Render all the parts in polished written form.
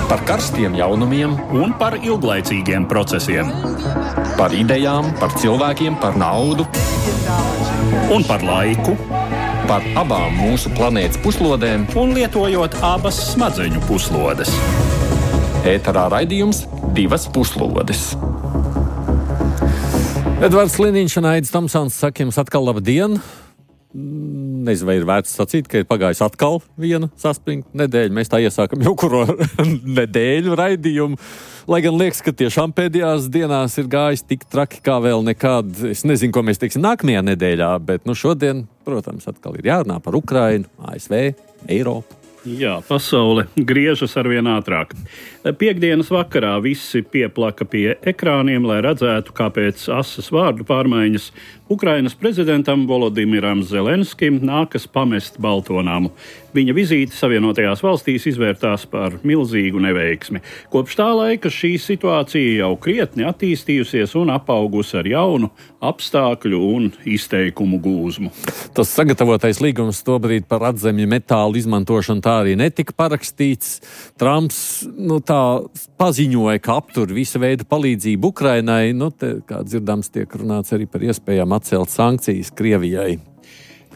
Par karstiem jaunumiem un par ilglaicīgiem procesiem. Par idejām, par cilvēkiem, par naudu. Un par laiku. Par abām mūsu planētas puslodēm. Un lietojot abas smadzeņu puslodes. Ēterā raidījums Divas puslodes. Edvards Liniņš un Aidis Tomsons saka jums atkal labdien. Nezinu, vai ir vērts sacīt, ka ir pagājis atkal viena saspringta nedēļa. Mēs tā iesākam jau kuro nedēļu raidījumu. Lai gan liekas, ka tiešām pēdējās dienās ir gājis tik traki kā vēl nekad. Es nezinu, ko mēs teiksim nākamajā nedēļā, bet šodien, protams, atkal ir jārunā par Ukrainu, ASV, Eiropu. Jā, pasaule griežas arvien ātrāk. Piektdienas vakarā visi pieplaka pie ekrāniem, lai redzētu, kāpēc asas vārdu pārmaiņas Ukrainas prezidentam Volodimiram Zelenskim nākas pamest Baltonāmu. Viņa vizīte Savienotajās valstīs izvērtās par milzīgu neveiksmi. Kopš tā laika šī situācija jau krietni attīstījusies un apaugusi ar jaunu apstākļu un izteikumu gūzmu. Tas sagatavotais līgums tobrīd par atzemju metālu izmantošanu tā arī netika parakstīts. Trumps tā paziņoja, ka aptur visu veidu palīdzību Ukrainai. Te, kā dzirdams, tiek runāts arī par iespējām atcelt sankcijas Krievijai.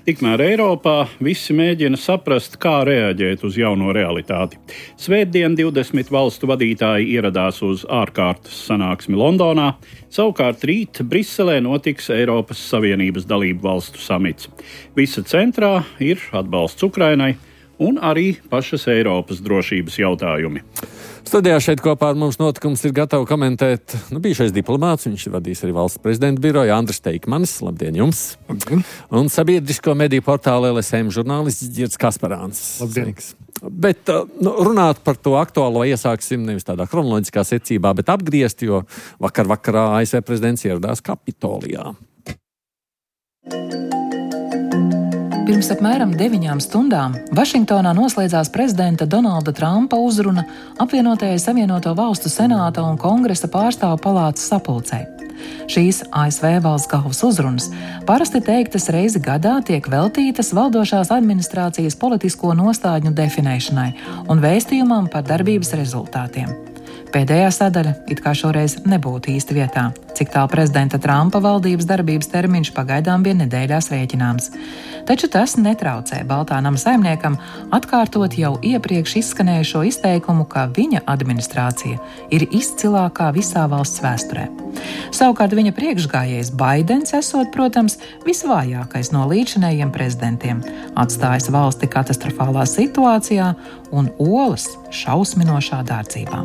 Tikmēr Eiropā visi mēģina saprast, kā reaģēt uz jauno realitāti. Svētdien 20 valstu vadītāji ieradās uz ārkārtas sanāksmi Londonā, savukārt rīt Briselē notiks Eiropas Savienības dalību valstu samits. Visa centrā ir atbalsts Ukrainai un arī pašas Eiropas drošības jautājumi. Studijā šeit kopā ar mums notikums ir gatava komentēt bijušais diplomāts, viņš vadīs arī valsts prezidenta biroju, Andris Teikmanis. Labdien jums! Labdien! Un sabiedrisko mediju portāla LSM žurnālists Girts Kasparāns. Labdien! Bet runāt par to aktuālo iesāksim nevis tādā kronoloģiskā secībā, bet apgriezt, jo vakarā ASV prezidents ieradās Kapitolijā. Pirms apmēram 9 stundām Vašingtonā noslēdzās prezidenta Donalda Trumpa uzruna apvienotajai Savienoto Valstu Senāta un Kongresa pārstāvu palātas sapulcei. Šīs ASV valsts galvas uzrunas parasti teiktas reizi gadā tiek veltītas valdošās administrācijas politisko nostādņu definēšanai un vēstījumam par darbības rezultātiem. Pēdējā sadaļa it kā šoreiz nebūtu īsti vietā, cik tālu prezidenta Trumpa valdības darbības termiņš pagaidām bija nedēļās rēķināms. Taču tas netraucē Baltā nama saimniekam atkārtot jau iepriekš izskanējušo izteikumu, ka viņa administrācija ir izcilākā visā valsts vēsturē. Savukārt viņa priekšgājējs Baidens esot, protams, visvājākais no līdzinējiem prezidentiem, atstājis valsti katastrofālā situācijā un olas šausminošā dārdzībā.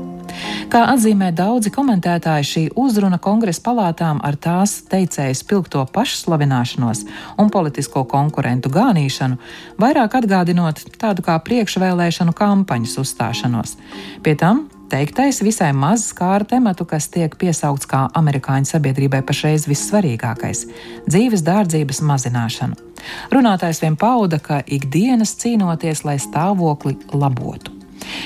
Kā atzīmē daudzi komentētāji, šī uzruna Kongresa palātām ar tās teicējas spilgto pašslavināšanos un politisko konkurentu gānīšanu, vairāk atgādinot tādu kā priekšvēlēšanu kampaņas uzstāšanos. Pie tam teiktais visai maz skāra tematu, kas tiek piesaukts kā amerikāņu sabiedrībai pašreiz vissvarīgākais – dzīves dārdzības mazināšanu. Runātājs vien pauda, ka ikdienas cīnoties, lai stāvokli labotu.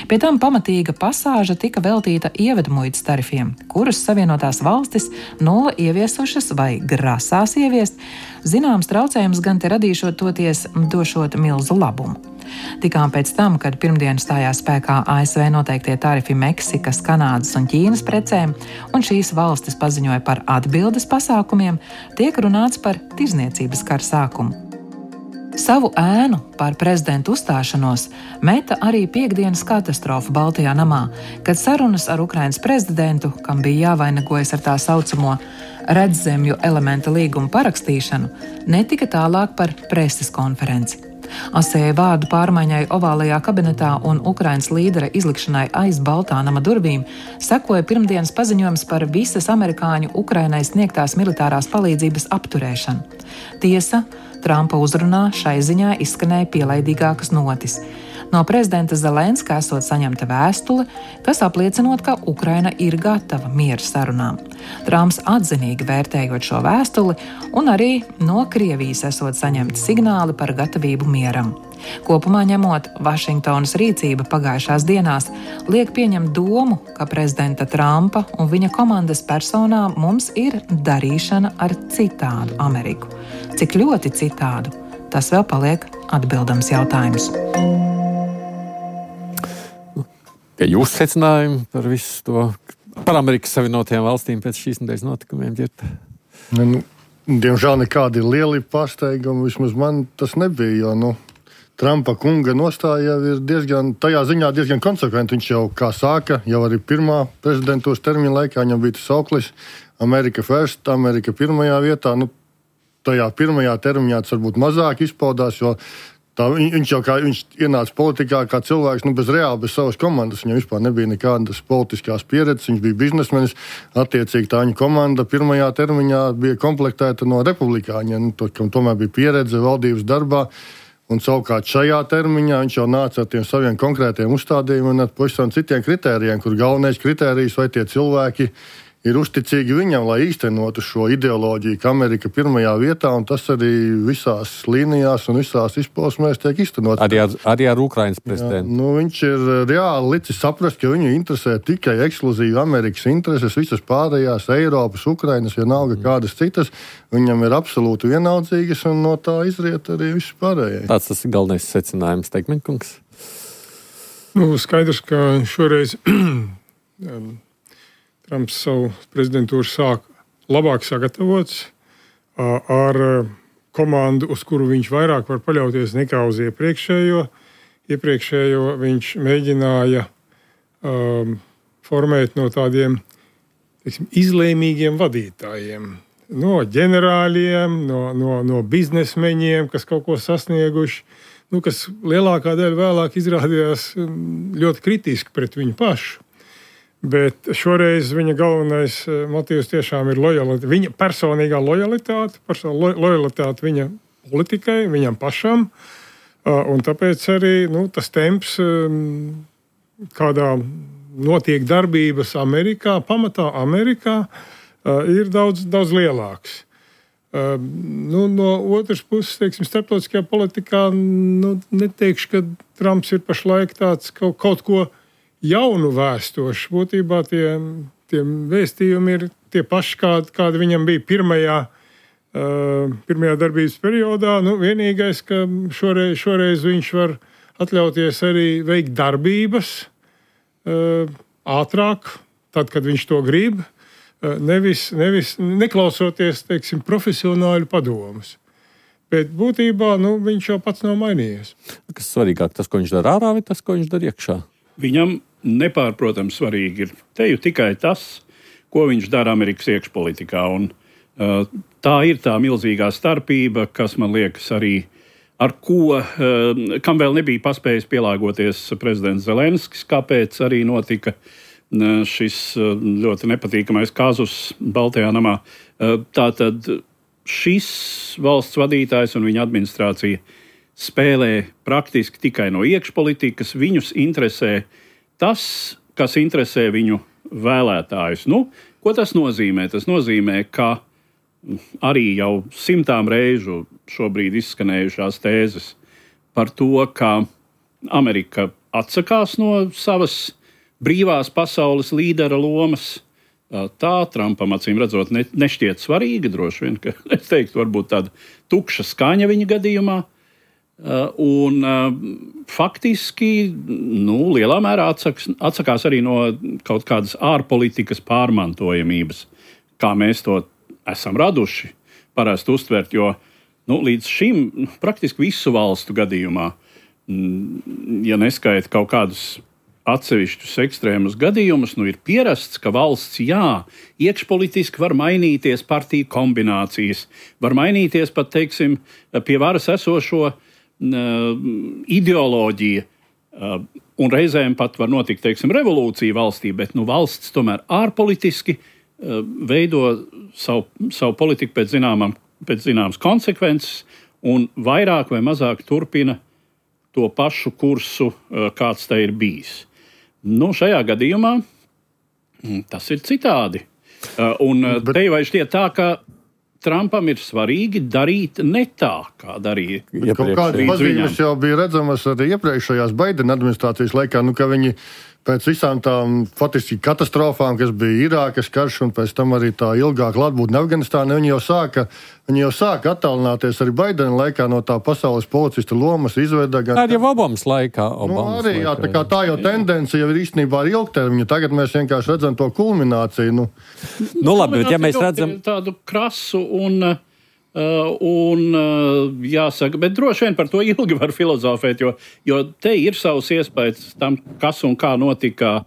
Pie tam pamatīga pasāža tika veltīta ievedmuitas tarifiem, kurus Savienotās valstis nulle ieviesušas vai grasās ieviest, zināms traucējums gan te radīšot toties došot milzu labumu. Tikām pēc tam, kad pirmdien stājās spēkā ASV noteiktie tarifi Meksikas, Kanādas un Ķīnas precēm, un šīs valstis paziņoja par atbildes pasākumiem, tiek runāts par tirzniecības kara sākumu. Savu ēnu par prezidentu uzstāšanos meta arī piektdienas katastrofa Baltajā namā, kad sarunas ar Ukrainas prezidentu, kam bija jāvainagojas ar tā saucamo redzemju elementa līgumu parakstīšanu, netika tālāk par preses konferenci. Asēja vārdu pārmaiņai ovālajā kabinetā un Ukrainas līdera izlikšanai aiz Baltā nama durvīm sekoja pirmdienas paziņojums par visas amerikāņu Ukrainai sniegtās militārās palīdzības apturēšanu. Tiesa, Trumpa uzrunā šai ziņā izskanēja pielaidīgākas notis. No prezidenta Zelenska esot saņemta vēstule, kas apliecinot, ka Ukraina ir gatava miera sarunām. Trumps atzinīgi vērtējot šo vēstuli un arī no Krievijas esot saņemti signāli par gatavību mieram. Kopumā ņemot, Vašingtonas rīcība pagājušās dienās liek pieņemt domu, ka prezidenta Trumpa un viņa komandas personā mums ir darīšana ar citādu Ameriku. Cik ļoti citādu, tas vēl paliek atbildams jautājums. Ja jūs secinājumi par visu to, par Amerikas Savienotajām valstīm pēc šīs nedēļas notikumiem ģirt? Diemžēl nekādi lieli pārsteigumi, vismaz man tas nebija, jo, Trumpa kunga nostāja ir tajā ziņā diezgan konsekventi. Viņš jau, kā sāka, jau arī pirmā prezidentūras termiņa laikā, viņam bija tas sauklis America First, Amerika pirmajā vietā. Tajā pirmajā termiņā tas varbūt mazāk izpaudās, jo viņš ienāca politikā kā cilvēks, bez savas komandas. Viņam vispār nebija nekādas politiskās pieredzes, viņš bija biznesmenis. Attiecīgi tā viņa komanda pirmajā termiņā bija komplektēta no republikāņiem, kam tomēr bija pieredze valdības darbā. Un savukārt šajā termiņā viņš jau nāca ar tiem saviem konkrētiem uzstādījumiem un ar pavisam citiem kritērijiem, kur galvenais kritērijs, vai tie cilvēki ir uzticīgi viņam, lai īstenotu šo ideoloģiju, ka Amerika pirmajā vietā, un tas arī visās līnijās un visās izpausmēs tiek īstenots. Arī ar Ukrainas prezidentu. Viņš ir reāli licis saprast, ka viņu interesē tikai ekskluzīvi Amerikas intereses, visas pārējās Eiropas, Ukrainas, vienalga kādas citas, viņam ir absolūti vienaldzīgas, un no tā izriet arī viss pārējais. Tas ir galvenais secinājums, Teikmeņkungs. Skaidrs, ka šoreiz Trumps savu prezidentūru sāk labāk sagatavots ar komandu, uz kuru viņš vairāk var paļauties nekā uz iepriekšējo. Iepriekšējo viņš mēģināja formēt no tādiem izlēmīgiem vadītājiem. No ģenerāļiem, no biznesmeņiem, kas kaut ko sasnieguši, kas lielākā daļa vēlāk izrādījās ļoti kritiski pret viņu pašu. Bet šoreiz viņa galvenais motīvs tiešām ir lojalitāte. Viņa personīgā lojalitāte viņa politikai, viņam pašam. Un tāpēc arī tas temps, kādā notiek darbības Amerikā, pamatā Amerikā, ir daudz lielāks. No otras puses, starptautiskajā politikā, neteikšu, ka Trumps ir pašlaik tāds kaut ko jaunu vēstoši. Būtībā tie vēstījumi ir tie paši, kādi viņam bija pirmajā darbības periodā. Vienīgais, ka šoreiz viņš var atļauties arī veikt darbības ātrāk, tad, kad viņš to grib, nevis neklausoties, profesionāļu padomus. Bet būtībā viņš jau pats nav mainījies. Kas svarīgāk, tas, ko viņš dara ārā, vai tas, ko viņš dara iekšā? Viņam nepārprotams svarīgi ir te jau tikai tas, ko viņš dara Amerikas iekšpolitikā. Un, tā ir tā milzīgā starpība, kas man liekas arī kam vēl nebija paspējis pielāgoties prezidents Zelenskis, kāpēc arī notika šis ļoti nepatīkamais kazus Baltajā namā. Tātad šis valsts vadītājs un viņa administrācija spēlē praktiski tikai no iekšpolitikas. Viņus interesē tas, kas interesē viņu vēlētājus. Ko tas nozīmē? Tas nozīmē, ka arī jau 100 reižu šobrīd izskanējušās tēzes par to, ka Amerika atsakās no savas brīvās pasaules līdera lomas. Tā Trumpam, acīm redzot, nešķiet svarīga, droši vien, ka es teiktu, varbūt tāda tukša skaņa viņa gadījumā. Un faktiski lielā mērā atsakās arī no kaut kādas ārpolitikas pārmantojamības, kā mēs to esam raduši parasti uztvert, jo līdz šim praktiski visu valstu gadījumā, ja neskaita kaut kādus atsevišķus ekstrēmus gadījumus, ir pierasts, ka valsts, iekšpolitiski var mainīties partiju kombinācijas, var mainīties pat, pie varas esošo ideoloģija, un reizēm pat var notikt, revolūcija valstī, bet valsts tomēr ārpolitiski veido savu politiku pēc zināmas konsekvences un vairāk vai mazāk turpina to pašu kursu, kāds tai ir bijis. Šajā gadījumā tas ir citādi. Te vai šķiet tā, ka Trumpam ir svarīgi darīt ne tā, kā darīja. Kaut kādas pazīmes jau bija redzamas arī iepriekšējās Baidena administrācijas laikā, ka viņi pēc visām tām faktiski katastrofām, kas bija Irākas karš un pēc tam arī tā ilgāka klātbūtne Afganistānā, viņi jau sāka attālināties arī Baidena laikā no tā pasaules policista lomas, izveida gan... Arī Obamas laikā. Jā, tā jau tendence jau ir īstenībā ar ilgtermiņu. Tagad mēs vienkārši redzam to kulmināciju. Labi, bet ja mēs redzam... Tādu krasu jāsaka, bet droši vien par to ilgi var filozofēt, jo te ir savs iespējas tam, kas un kā notika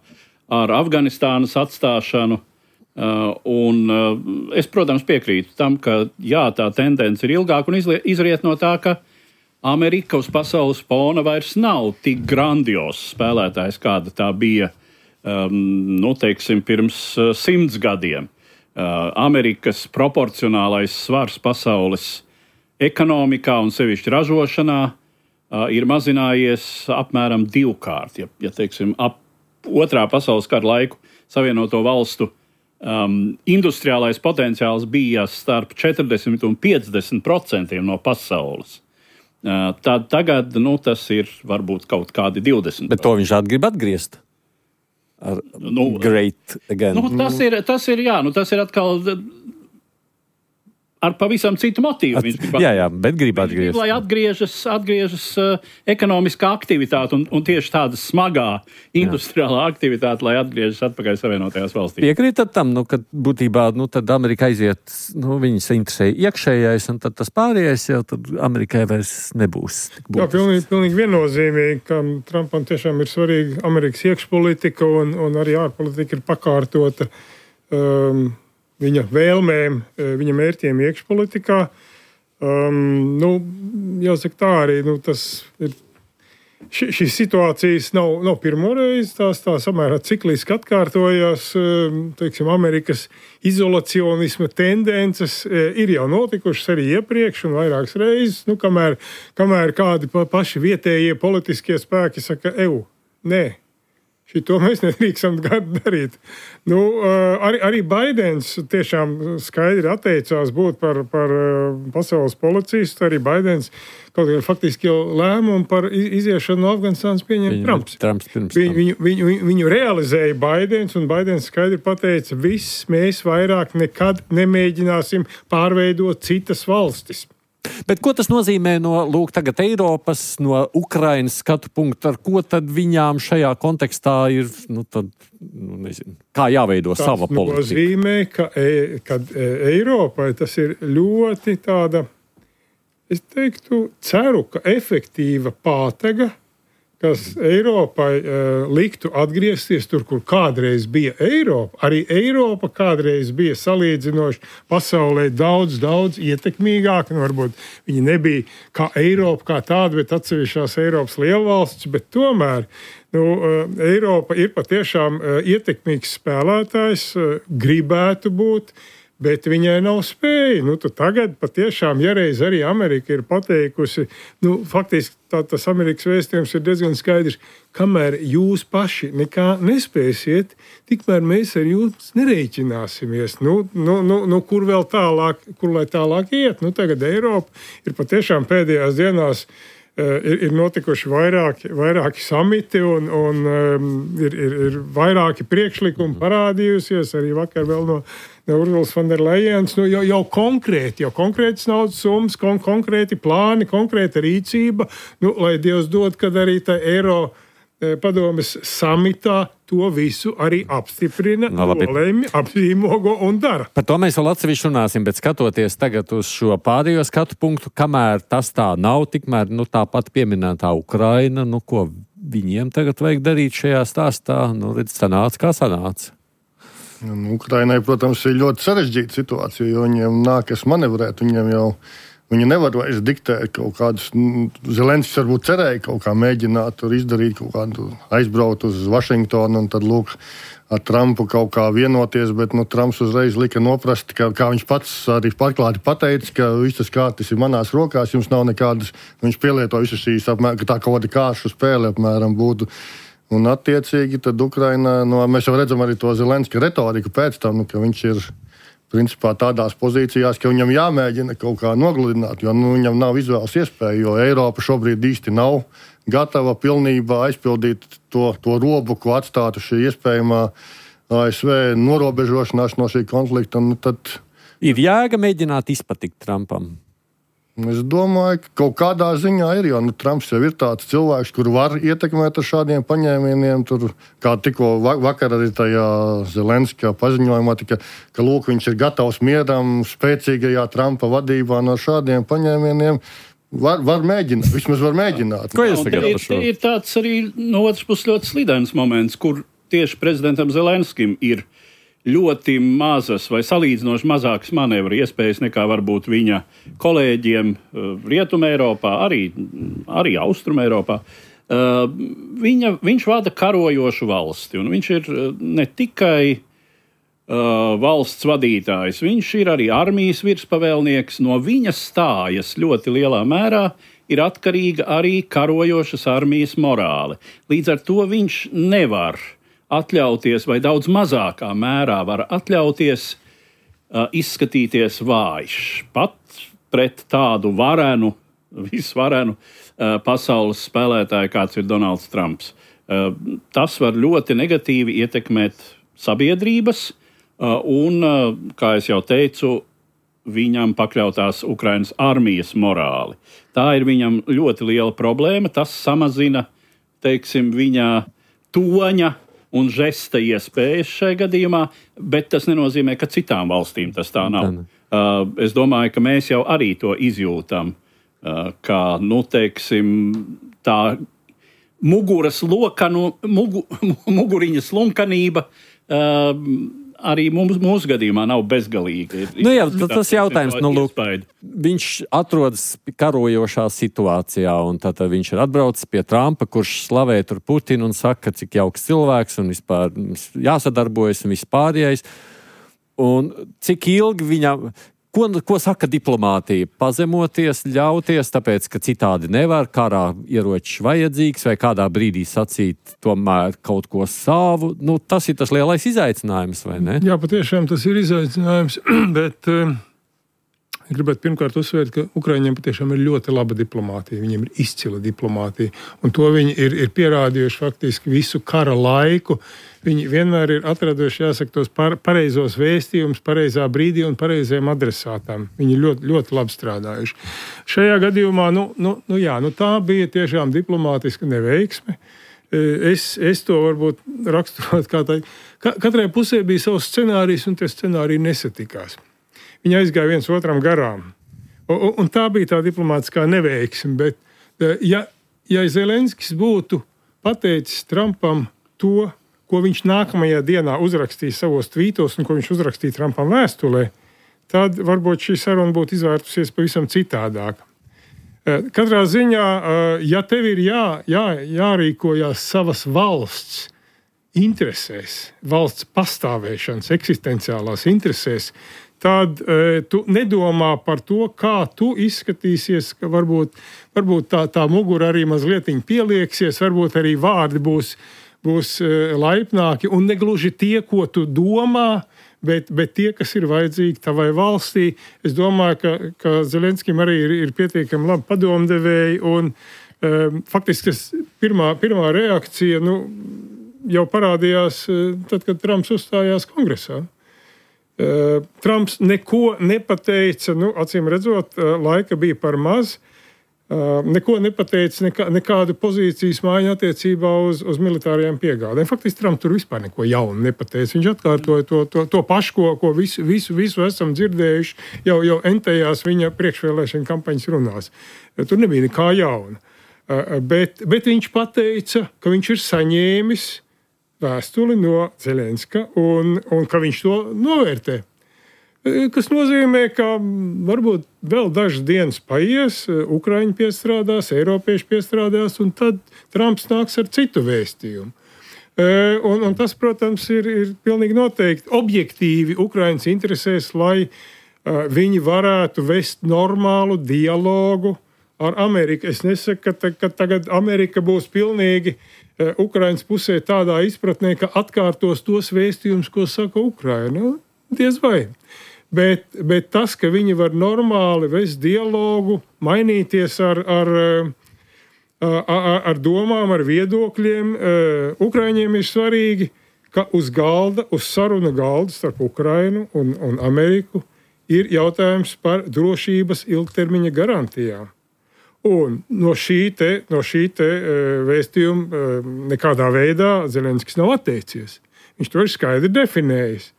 ar Afganistānas atstāšanu. Es, protams, piekrītu tam, ka jā, tā tendence ir ilgāka un izriet no tā, ka Amerika uz pasaules fona vairs nav tik grandios spēlētājs, kāda tā bija, teiksim, pirms 100 gadiem. Amerikas proporcionālais svars pasaules ekonomikā un sevišķi ražošanā ir mazinājies apmēram 2-kārt. Ja teiksim, ap otrā pasaules kara laiku Savienoto valstu industriālais potenciāls bija starp 40 un 50% no pasaules. Tad tagad tas ir varbūt kaut kādi 20%. Bet to viņš grib atgriezt. Great again. Tas ir atkal ar pavisam citu motīvu. Jā, bet grib atgriezt. Lai atgriežas ekonomiskā aktivitāte un tieši tāda smagā industriālā aktivitāte, lai atgriežas atpakaļ Savienotajās valstīs. Piekrītat tam, ka būtībā tad Amerika aiziet, viņas interesē iekšējais, un tad tas pārējais jau tad Amerikai vairs nebūs. Jā, pilnīgi viennozīmīgi, ka Trumpam tiešām ir svarīga Amerikas iekšpolitika un arī ārpolitika ir pakārtota viņa vēlmēm, viņa mērķiem iekšpolitikā. Jāsaka tā arī, tas ir. Šīs situācijas nav pirmoreiz, tās samērā cikliski atkārtojās, teiksim, Amerikas izolacionisma tendences ir jau notikušas arī iepriekš un vairākas reizes, kamēr kādi paši vietējie politiskie spēki saka, nē. To mēs nedrīkstam darīt. Arī Baidens tiešām skaidri atteicās būt par pasaules policistu. Arī Baidens kaut kā faktiski jau lēmumu par iziešanu no Afganistānas pieņem Trumps. Viņu realizēja Baidens, un Baidens skaidri pateica, mēs vairāk nekad nemēģināsim pārveidot citas valstis. Bet ko tas nozīmē tagad Eiropas, no Ukrainas skatu punktu, ar ko tad viņām šajā kontekstā ir, nezinu, kā jāveido sava politika? Tas nozīmē, ka Eiropai tas ir ļoti tāda, es teiktu, ceru, ka efektīva pātega, kas Eiropai liktu atgriezties tur, kur kādreiz bija Eiropa. Arī Eiropa kādreiz bija salīdzinoši pasaulē daudz ietekmīgāka. Varbūt viņi nebija kā Eiropa kā tāda, bet atsevišķās Eiropas lielvalsts, bet tomēr Eiropa ir patiešām ietekmīgs spēlētājs, gribētu būt, bet viņai nav spēja. Tagad patiešām, ja reiz arī Amerika ir pateikusi, faktiski tas Amerikas vēstījums ir diezgan skaidrs, kamēr jūs paši nekā nespēsiet, tikmēr mēs ar jums nereiķināsimies. Kur vēl tālāk, kur lai tālāk iet? Tagad Eiropa ir patiešām pēdējās dienās ir notikuši vairāki samiti un ir vairāki priekšlikumi parādījusies, arī vakar vēl no Ursulas von der Leyens, jau konkrētas naudas summas, konkrēti plāni, konkrēta rīcība, lai Dievs dod, kad arī tā Eiro padomes samitā to visu arī apstiprina, nolēmi, apzīmogo un dara. Par to mēs vēl atsevišķi runāsim, bet skatoties tagad uz šo pārējo skatu punktu, kamēr tas tā nav, tikmēr tāpat pieminētā Ukraina, ko viņiem tagad vajag darīt šajā stāstā, sanāca kā sanāca. Ukrainai, protams, ir ļoti sarežģīta situācija, jo viņiem nākas manevrēt, viņi nevar vairs diktēt kaut kādus, Zelenskis varbūt cerēja kaut kā mēģināt tur izdarīt kaut kādu, aizbraukt uz Vašingtonu un tad ar Trumpu kaut kā vienoties, bet Trumps uzreiz lika noprast, kā viņš pats arī pārklāti pateica, ka viss tas kārtis ir manās rokās, jums nav nekādas, viņš pielieto visas šīs, ka tā kaut kāda kāršu spēle apmēram būtu. Un attiecīgi tad Ukraina, mēs jau redzam arī to Zelenska retoriku pēc tam, ka viņš ir principā tādās pozīcijās, ka viņam jāmēģina kaut kā nogludināt, jo viņam nav izvēles iespēja, jo Eiropa šobrīd īsti nav gatava pilnībā aizpildīt to robu, ko atstātu šī iespējamā ASV norobežošanās no šī konflikta. Tad ir jēga mēģināt izpatikt Trumpam? Es domāju, ka kaut kādā ziņā ir, jo Trumps jau ir tāds cilvēks, kur var ietekmēt ar šādiem paņēmieniem. Tur, kā tikko vakar arī tajā Zelenska paziņojumā, ka lūk, viņš ir gatavs mieram spēcīgajā Trumpa vadībā no šādiem paņēmieniem. Var mēģināt, vismaz var mēģināt. Ko jūs tagad par šo? Ir tāds arī no otras puses ļoti slidens moments, kur tieši prezidentam Zelenskim ir ļoti mazas vai salīdzinoši mazākas manevru iespējas nekā varbūt viņa kolēģiem Rietumē Eiropā, arī Austrumē Eiropā. Viņš vada karojošu valsti, un viņš ir ne tikai valsts vadītājs, viņš ir arī armijas virspavēlnieks. No viņa stājas ļoti lielā mērā ir atkarīga arī karojošas armijas morāle. Līdz ar to viņš nevar atļauties, vai daudz mazākā mērā var atļauties izskatīties vājš. Pat pret tādu visvarenu pasaules spēlētāju, kāds ir Donalds Trumps. Tas var ļoti negatīvi ietekmēt sabiedrības, un, kā es jau teicu, viņam pakļautās Ukrainas armijas morāli. Tā ir viņam ļoti liela problēma. Tas samazina, teiksim, viņa toņa un žesta iespējas šajā gadījumā, bet tas nenozīmē, ka citām valstīm tas tā nav. Es domāju, ka mēs jau arī to izjūtam, ka, teiksim, tā muguriņas slunkanība arī mūsu gadījumā nav bezgalīga. Tas jautājums, viņš atrodas karojošā situācijā, un tad viņš ir atbraucis pie Trumpa, kurš slavē tur Putinu un saka, cik jauks cilvēks un vispār jāsadarbojas un vispārējais. Un cik ilgi viņam, ko saka diplomātija? Pazemoties, ļauties, tāpēc, ka citādi nevar, karā ieročs vajadzīgs, vai kādā brīdī sacīt tomēr kaut ko savu. Tas ir tas lielais izaicinājums, vai ne? Jā, patiešām tas ir izaicinājums, bet gribētu pirmkārt uzsvērt, ka Ukraiņiem patiešām ir ļoti laba diplomātija. Viņiem ir izcila diplomātija, un to viņi ir pierādījuši faktiski visu kara laiku. Viņi vienmēr ir atraduši, jāsaka, tos pareizos vēstījumus, pareizā brīdī un pareizajiem adresātām. Viņi ļoti, ļoti labi strādājuši. Šajā gadījumā, tā bija tiešām diplomātiska neveiksme. Es to varbūt raksturot kā tā. Katrai pusē bija savs scenārijs, un tie scenāriji nesatikās. Viņi aizgāja viens otram garām. Un tā bija tā diplomātiskā neveiksme. Bet ja Zelenskis būtu pateicis Trumpam to, ko viņš nākamajā dienā uzrakstīja savos tvītos un ko viņš uzrakstīja Trumpam vēstulē, tad varbūt šī saruna būtu izvērtusies pavisam citādāk. Katrā ziņā, ja tev ir jārīkojās savas valsts interesēs, valsts pastāvēšanas, eksistenciālās interesēs, tad tu nedomā par to, kā tu izskatīsies, ka varbūt tā mugura arī mazliet pielieksies, varbūt arī vārdi būs laipnāki un negluži tie, ko tu domā, bet tie, kas ir vajadzīgi tavai valstī. Es domāju, ka Zelenskim arī ir pietiekami labi padomdevēji, un faktiski pirmā reakcija jau parādījās tad, kad Trumps uzstājās kongresā. Trumps neko nepateica, acīm redzot, laika bija par maz. Neko nepateica, nekādu pozīcijas maiņu attiecībā uz militārajām piegādēm. Faktiski Trumps tur vispār neko jaunu nepateica. Viņš atkārtoja to pašu, ko visu esam dzirdējuši jau entējās viņa priekšvēlēšana kampaņas runās. Tur nebija nekā jauna. Bet viņš pateica, ka viņš ir saņēmis vēstuli no Zelenska un ka viņš to novērtē. Kas nozīmē, ka varbūt vēl dažas dienas paies, Ukraiņi piestrādās, Eiropieši piestrādās, un tad Trumps nāks ar citu vēstījumu. Un tas, protams, ir pilnīgi noteikti objektīvi Ukraiņas interesēs, lai viņi varētu vest normālu dialogu ar Ameriku. Es nesaku, ka tagad Amerika būs pilnīgi Ukraiņas pusē tādā izpratnē, ka atkārtos tos vēstījumus, ko saka Ukraina. Diez vai. Bet tas, ka viņi var normāli vest dialogu, mainīties ar domām, ar viedokļiem, Ukraiņiem ir svarīgi, ka uz saruna galda starp Ukrainu un Ameriku ir jautājums par drošības ilgtermiņa garantijām. Un no šī te vēstījuma nekādā veidā Zelenskis nav atteicies. Viņš to ir skaidri definējis.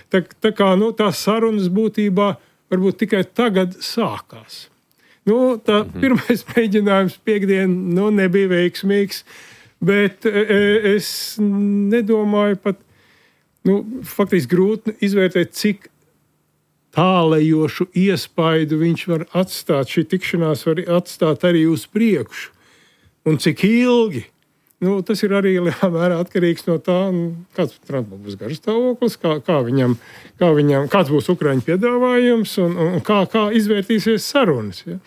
Tā kā tās sarunas būtībā varbūt tikai tagad sākās. Pirmais mēģinājums piekdien nebija veiksmīgs, bet es nedomāju pat, faktiski grūti izvērtēt, cik tālējošu iespaidu viņš var atstāt, šī tikšanās var atstāt arī uz priekšu. Un cik ilgi. Tas ir arī lielā mērā atkarīgs no tā, kāds Trumpam būs garastāvoklis, kāds būs Ukraiņu piedāvājums un kā izvērtīsies sarunas. Ja?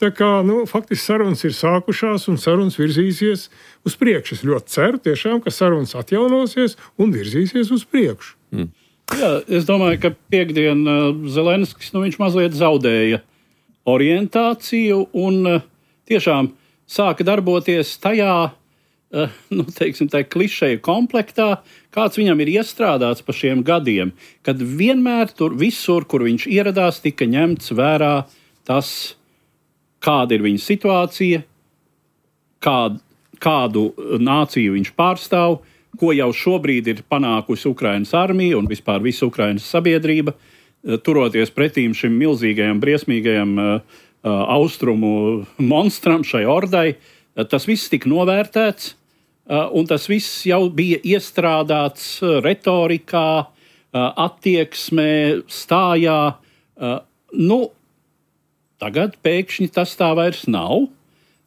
Tā kā, faktiski sarunas ir sākušās un sarunas virzīsies uz priekšu. Es ļoti ceru tiešām, ka sarunas atjaunosies un virzīsies uz priekšu. Jā, es domāju, ka piekdien Zelenskis viņš mazliet zaudēja orientāciju un tiešām sāka darboties tajā, tā klišeja komplektā, kāds viņam ir iestrādāts pa šiem gadiem, kad vienmēr visur, kur viņš ieradās, tika ņemts vērā tas, kāda ir viņa situācija, kādu nāciju viņš pārstāv, ko jau šobrīd ir panākusi Ukrainas armija un vispār visa Ukrainas sabiedrība, turoties pretīm šim milzīgajam, briesmīgajam austrumu monstram, šai ordai. Tas viss tika novērtēts, un tas viss jau bija iestrādāts retorikā, attieksmē, stājā. Tagad pēkšņi tas tā vairs nav.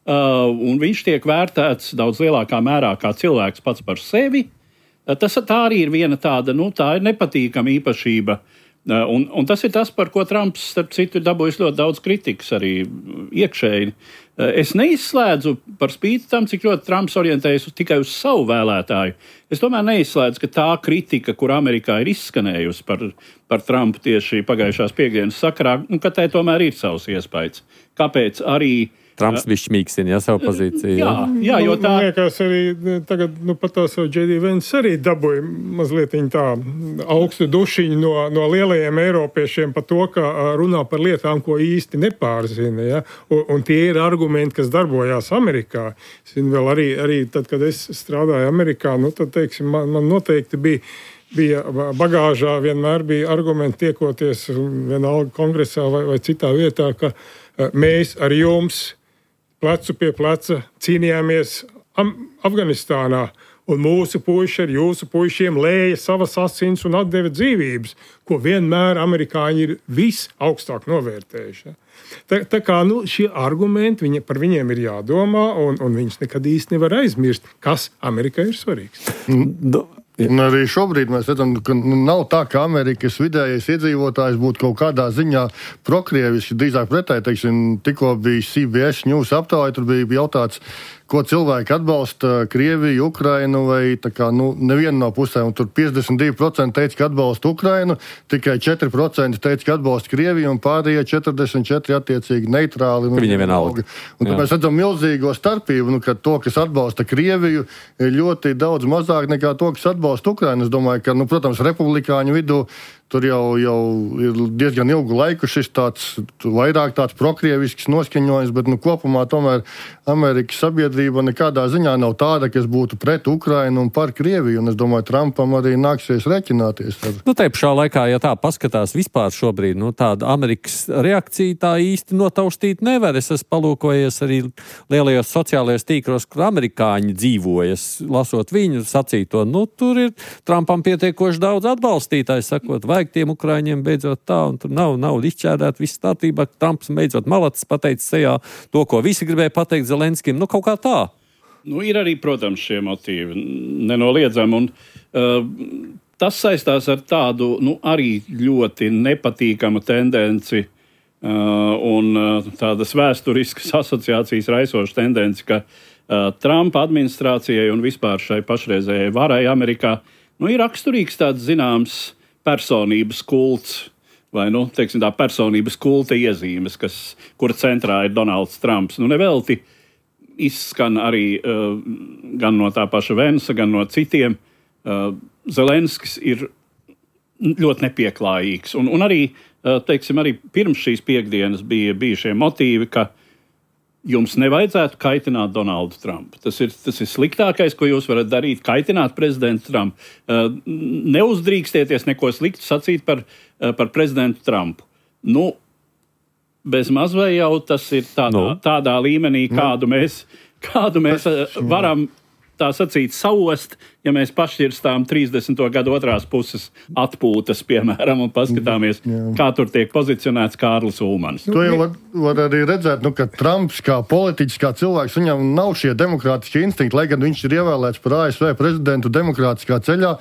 Un viņš tiek vērtēts daudz lielākā mērā kā cilvēks pats par sevi. Tā arī ir viena tāda, tā ir nepatīkama īpašība. Un tas ir tas, par ko Trumps, starp citu, ir dabūjis ļoti daudz kritikas arī iekšēji. Es neizslēdzu par spīti tam, cik ļoti Trumps orientējas tikai uz savu vēlētāju. Es tomēr neizslēdzu, ka tā kritika, kur Amerikā ir izskanējusi par Trumpu tieši pagājušās piekdienas sakarā, ka tai tomēr ir savs iespējas. Kāpēc arī Trumps bija šmīksina, savu pozīciju. Jā, jo tā... Man liekas, arī tagad, pat tās jau J.D. Vance arī dabūja mazliet tā augstu dušiņu no lielajiem eiropiešiem par to, ka runā par lietām, ko īsti nepārzina. Ja? Un tie ir argumenti, kas darbojās Amerikā. Es zinu, vēl arī tad, kad es strādāju Amerikā, tad, teiksim, man noteikti bija bagāžā, vienmēr bija argumenti tiekoties vienalga kongresā vai citā vietā, ka mēs ar jums plecu pie pleca cīnījāmies Afganistānā, un mūsu puiši ar jūsu puišiem lēja savas asins un atdeva dzīvības, ko vienmēr amerikāņi ir visaugstāk novērtējuši. Tā kā šie argumenti, par viņiem ir jādomā, un viņus nekad īsti nevar aizmirst, kas Amerikai ir svarīgs. Un arī šobrīd mēs redzam, ka nav tā, ka Amerikas vidējais iedzīvotājs būtu kaut kādā ziņā prokrieviski, drīzāk pretēji, tikko bija CBS News aptāja, tur bija jautāts, ko cilvēki atbalsta Krieviju, Ukrainu vai nevienu no pusēm. Un tur 52% teica, ka atbalsta Ukrainu, tikai 4% teica, ka atbalsta Krieviju un pārējie 44% attiecīgi neitrāli. Viņiem vienalga. Un tad mēs redzam milzīgo starpību, ka to, kas atbalsta Krieviju, ir ļoti daudz mazāk nekā to, kas atbalsta Ukrainu. Es domāju, ka, protams, republikāņu vidū tur jau ir diezgan ilgu laiku šis vairāk tāds prokrievisks noskaņojums, bet kopumā tomēr Amerikas sabiedrība nekādā ziņā nav tāda, kas būtu pret Ukrainu un par Krieviju. Un es domāju, Trumpam arī nāksies reķināties ar. Te pašā laikā, ja tā paskatās vispār šobrīd, tāda Amerikas reakcija tā īsti notaustīt nevar. Es esmu palūkojies arī lielajos sociālajos tīklos, kur amerikāņi dzīvojas, lasot viņu sacīto. Tur ir Trumpam pietiekoši daudz atbalstītājs, sakot, vajag tiem Ukraiņiem beidzot tā, un tur nav izšķērdēt, viss kārtībā. Trumps beidzot malacis pateicis sejā to, ko visi gribēja pateikt Zelenskim. Kaut kā tā. Ir arī, protams, šie motīvi nenoliedzami, un tas saistās ar tādu, arī ļoti nepatīkamu tendenci un tādas vēsturiskas asociācijas raisošu tendenci, ka Trumpa administrācijai un vispār šai pašreizējai varai Amerikā, ir raksturīgs tāds zināms personības kults. vai teiksim, tā personības kulta iezīmes, kura centrā ir Donalds Trumps. Nevelti izskan arī gan no tā paša Vensa, gan no citiem. Zelenskis ir ļoti nepieklājīgs. Un arī, teiksim, arī pirms šīs piekdienas bija šie motīvi, ka jums nevajadzētu kaitināt Donaldu Trumpu. Tas ir sliktākais, ko jūs varat darīt, kaitināt prezidentu Trumpu. Neuzdrīkstieties neko sliktu sacīt par prezidentu Trumpu. Bez maz vai jau tas ir tādā līmenī, kādu mēs varam tā sacīt saost, ja mēs pašķirstām 30. gadu otrās puses atpūtas, piemēram, un paskatāmies, kā tur tiek pozicionēts Kārlis Ulmanis. To jau var arī redzēt, ka Trumps kā politiķis, kā cilvēks, viņam nav šie demokrātiskie instinkti, lai gan viņš ir ievēlēts par ASV prezidentu demokrātiskā ceļā,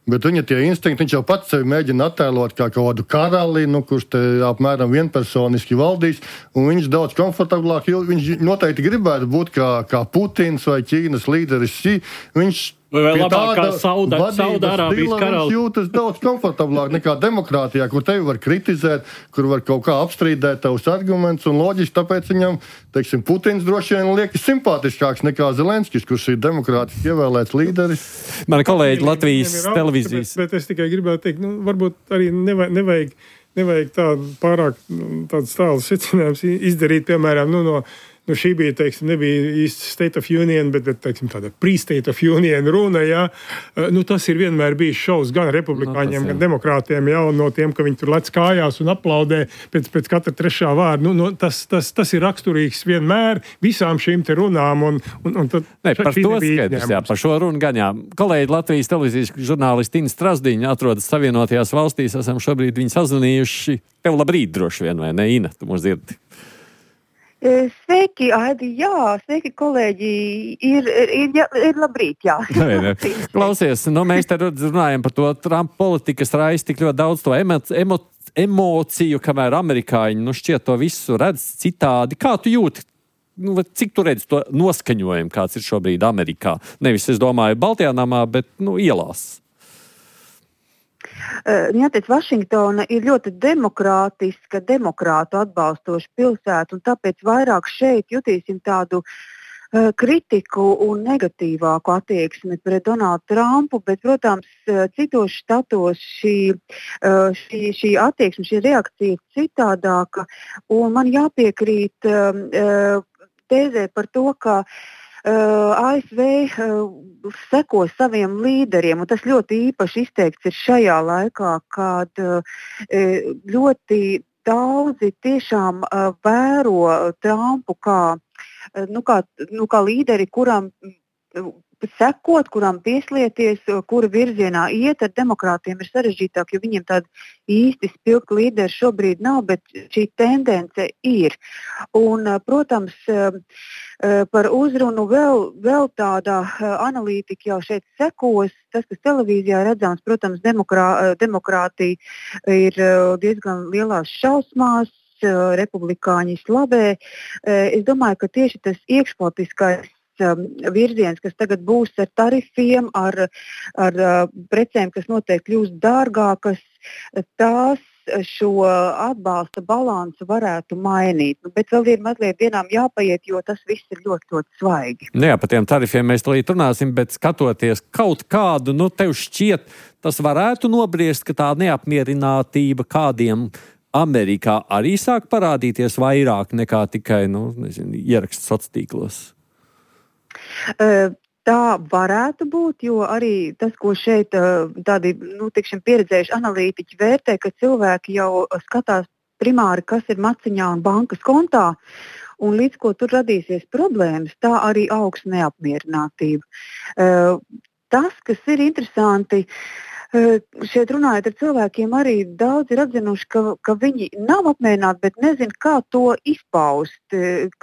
bet viņa tie instinkti, viņš jau pats sevi mēģina attēlot kā kaut kādu karali, kurš te apmēram vienpersoniski valdīs, un viņš daudz komfortablāk, jo viņš noteikti gribētu būt kā Putins vai Ķīnas līderis Xi. Viņš vai vēl labāk kā Saudārābijas karalis. Viņš jūtas daudz komfortablāk nekā demokrātijā, kur tevi var kritizēt, kur var kaut kā apstrīdēt tavus argumentus, un loģiski tāpēc viņam, teiksim, Putins droši vien liekas simpātiskāks nekā Zelenskis, kurš ir demokrātiski ievēlēts līderis. Mani kolēģi Latvijas televīzijas. Bet es tikai gribētu teikt, varbūt arī nevajag pārāk tāds tāls secinājums izdarīt, piemēram, šī bija, teiksim, nebija īsti State of Union, bet teiksim, tāda pre-State of Union runa, jā. Tas ir vienmēr bijis šovs gan republikāņiem, gan demokrātiem, jā, un no tiem, ka viņi tur lec kājās un aplaudē pēc katra trešā vārda. Tas ir raksturīgs vienmēr visām šīm te runām, un tad par to skaidrs, jā, par šo runu gan, jā. Kolēģi Latvijas televīzijas žurnālisti Ina Strasdiņa atrodas Savienotajās valstīs, esam šobrīd viņu sazvanījuši. Tev labrīt droši vien, vai ne, Ina? Tu mūs dzirdi. Sveiki, Aidi, jā, sveiki, kolēģi, ir labrīt, jā. Klausies, mēs te runājam par to Trumpa politikas raisi tik ļoti daudz to emociju, kamēr amerikāņi, šķiet to visu redz citādi. Kā tu jūti? Cik tu redzi to noskaņojumu, kāds ir šobrīd Amerikā? Nevis, es domāju, Baltijā namā, bet, ielās. Jāteic, Vašingtona ir ļoti demokrātiska, demokrātu atbalstoša pilsēta, un tāpēc vairāk šeit jutīsim tādu kritiku un negatīvāku attieksmi pret Donaldu Trumpu, bet, protams, citos štatos šī attieksme, šī reakcija ir citādāka, un man jāpiekrīt tēzē par to, ka ASV seko saviem līderiem, un tas ļoti īpaši izteikts ir šajā laikā, kad ļoti daudzi tiešām vēro Trumpu kā līderi, kuram sekot, kuram pieslieties, kura virzienā iet. Ar demokrātiem ir sarežģītāk, jo viņiem tāda īsti spilgta līderi šobrīd nav, bet šī tendence ir. Un, protams, par uzrunu vēl tāda analītika jau šeit sekos. Tas, kas televīzijā redzams, protams, demokrātija ir diezgan lielās šausmās, republikāņi slavē. Es domāju, ka tieši tas iekšpolitiskais virziens, kas tagad būs ar tarifiem, ar precēm, kas noteikti kļūst dārgākas, tās šo atbalsta balansu varētu mainīt. Bet vēl ir mazliet dienām jāpaiet, jo tas viss ir ļoti, ļoti svaigi. Jā, par tiem tarifiem mēs tulīt runāsim, bet skatoties kaut kādu, tev šķiet, tas varētu nobriest, ka tā neapmierinātība kādiem Amerikā arī sāk parādīties vairāk nekā tikai, ieraksts sociālos tīklos. Tā varētu būt, jo arī tas, ko šeit tādi pieredzējuši analītiķi vērtē, ka cilvēki jau skatās primāri, kas ir maciņā un bankas kontā, un līdz ko tur radīsies problēmas, tā arī augs neapmierinātība. Tas, kas ir interesanti, šeit runājot ar cilvēkiem, arī daudz ir atzinuši, ka viņi nav apmierināti, bet nezin, kā to izpaust,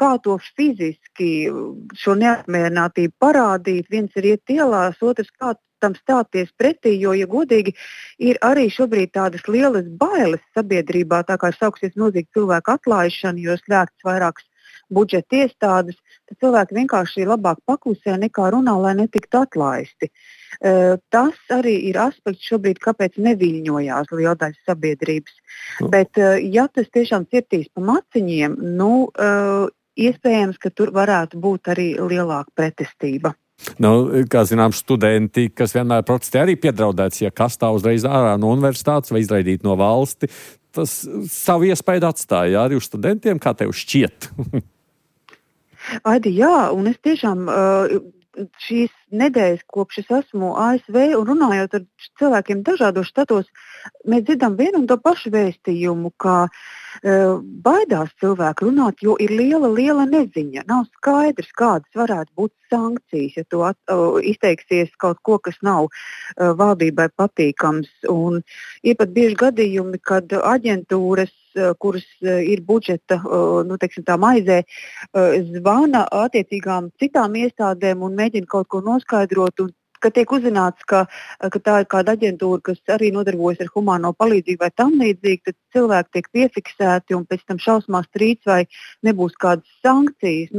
kā to fiziski šo neapmierinātību parādīt. Viens ir iet ielās, otrs kā tam stāties pretī, jo, ja godīgi, ir arī šobrīd tādas lielas bailes sabiedrībā, tā kā sāksies milzīgi cilvēku atlaišana, jo slēgts vairākas budžeta iestādes, tad cilvēki vienkārši labāk paklusē nekā runā, lai netiktu atlaisti. Tas arī ir aspekts šobrīd, kāpēc neviļņojās liela daļa sabiedrības. Bet, ja tas tiešām cirtīs pa maciņiem, iespējams, ka tur varētu būt arī lielāka pretestība. Kā zinām, studenti, kas vienmēr protestē, arī piedraudēts, ja kas tā uzreiz ārā no universitātes vai izraidīt no valsti, tas savu iespēju atstāja arī uz studentiem, kā tev šķiet? Aidi, jā, un es tiešām šīs nedēļas, kopš es esmu ASV un runājot ar cilvēkiem dažādos štatos, mēs dzirdam vienu un to pašu vēstījumu, ka baidās cilvēki runāt, jo ir liela neziņa. Nav skaidrs, kādas varētu būt sankcijas, ja tu izteiksies kaut ko, kas nav valdībai patīkams. Un ir pat bieži gadījumi, kad aģentūras, kuras ir budžeta maizē, zvana attiecīgām citām iestādēm un mēģina kaut ko noskaidrot. Un kad tiek uzzināts, ka tā ir kāda aģentūra, kas arī nodarbojas ar humāno palīdzību vai tam līdzīgi, tad cilvēki tiek piefiksēti un pēc tam šausmās strīds vai nebūs kādas sankcijas.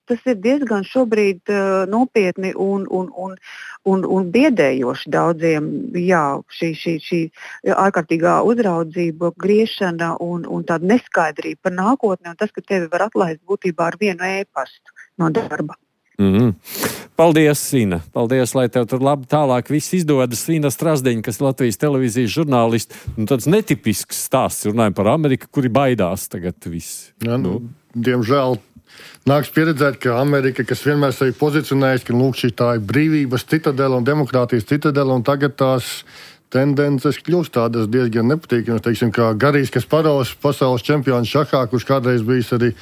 Tas ir diezgan šobrīd nopietni un biedējoši daudziem. Jā, šī ārkārtīgā uzraudzība, griešana un tāda neskaidrība par nākotni un tas, ka tevi var atlaist būtībā ar vienu ēpastu no darba. Paldies, Ina. Paldies, lai tev tur labi tālāk viss izdodas. Ina Strasdeņa, kas ir Latvijas televīzijas žurnālists. Tāds netipisks stāsts. Runājam par Ameriku, kuri baidās tagad viss. Ja, diemžēl nāks pieredzēt, ka Amerika, kas vienmēr sevi pozicionējas, ka šī tā ir brīvības citadela un demokrātijas citadela, un tagad tās tendences kļūst tādas diezgan nepatīkamas. Teiksim, kā Garijs Kasparovs, pasaules čempions šahā, kurš kādreiz bijis arī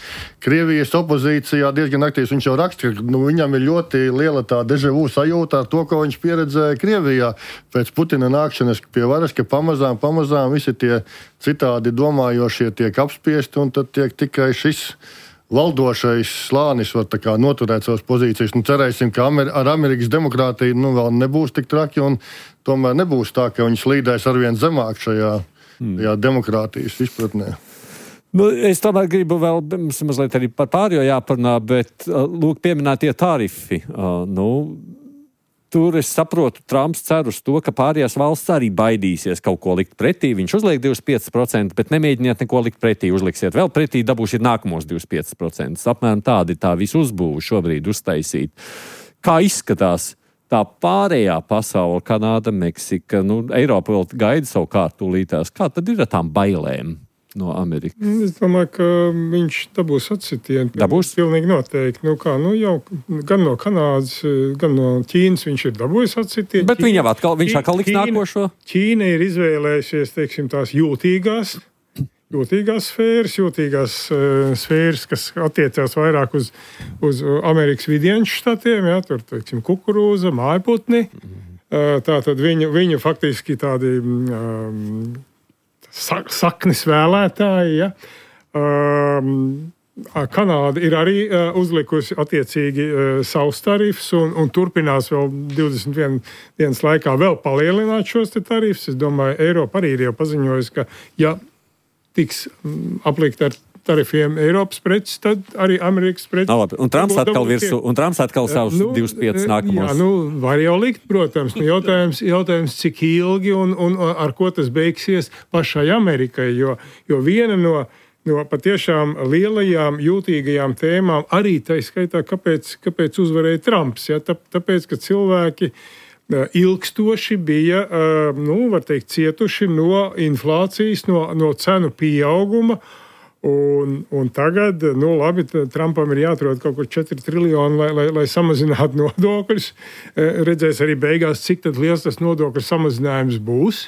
Krievijas opozīcijā diezgan aktīvs. Viņš jau raksta, ka viņam ir ļoti liela tā deja vu sajūta ar to, ko viņš pieredzēja Krievijā pēc Putina nākšanas pie varas, ka pamazām visi tie citādi domājošie tiek apspiesti, un tad tiek tikai šis valdošais slānis var noturēt savas pozīcijas. Cerēsim, ka ar Amerikas demokrātiju vēl nebūs tik traki, un tomēr nebūs tā, ka viņi slīdēs arvien zemāk šajā demokrātijas izpratnē. Es tomēr gribu vēl mazliet arī par pārējo jāparunā, bet lūk pieminētie tarifi. Tur es saprotu, Trumps cer uz to, ka pārējās valsts arī baidīsies kaut ko likt pretī. Viņš uzliek 25%, bet nemēģiniet neko likt pretī. Uzliksiet vēl pretī, dabūsiet nākamos 25%. Apmēram tādi tā visu uzbūvu šobrīd uztaisīt. Kā izskatās tā pārējā pasaule, Kanāda, Meksika, Eiropa vēl gaida savu kārtu tūlītās. Kā tad ir ar tām bailēm no Amerikas? Es domāju, ka viņš dabūs atsitienu. Dabūs? Pilnīgi noteikti. Jau gan no Kanādas, gan no Ķīnas viņš ir dabūjis atsitienu. Bet viņš atkal liks nākošo? Ķīna ir izvēlējusies, tās jūtīgās sfēras, kas attiecās vairāk uz Amerikas vidieņu štatiem, tur, kukurūza, mājputni. Tātad viņu faktiski tādi saknes vēlētāji, Kanāda ir arī uzlikusi attiecīgi savus tarifus un turpinās vēl 21 dienas laikā vēl palielināt šos tarifus. Es domāju, Eiropa arī ir jau paziņojusi, ka ja tiks aplikt ar tarifiem Eiropas preces, tad arī Amerikas preces. Un Trumps atkal virsū, un Trumps atkal savus 25 nākamos. Jā, var jau likt, protams. Jautājums, cik ilgi un ar ko tas beigsies pašai Amerikai, jo viena no patiešām lielajām, jūtīgajām tēmām arī tā skaitā, kāpēc uzvarēja Trumps. Ja? Tāpēc, ka cilvēki ilgstoši bija, var teikt, cietuši no inflācijas, no cenu pieauguma. Un tagad, labi, Trumpam ir jāatrod kaut kur 4 triljoni, lai samazinātu nodokļus. Redzēs arī beigās, cik tad liels tas nodokļu samazinājums būs.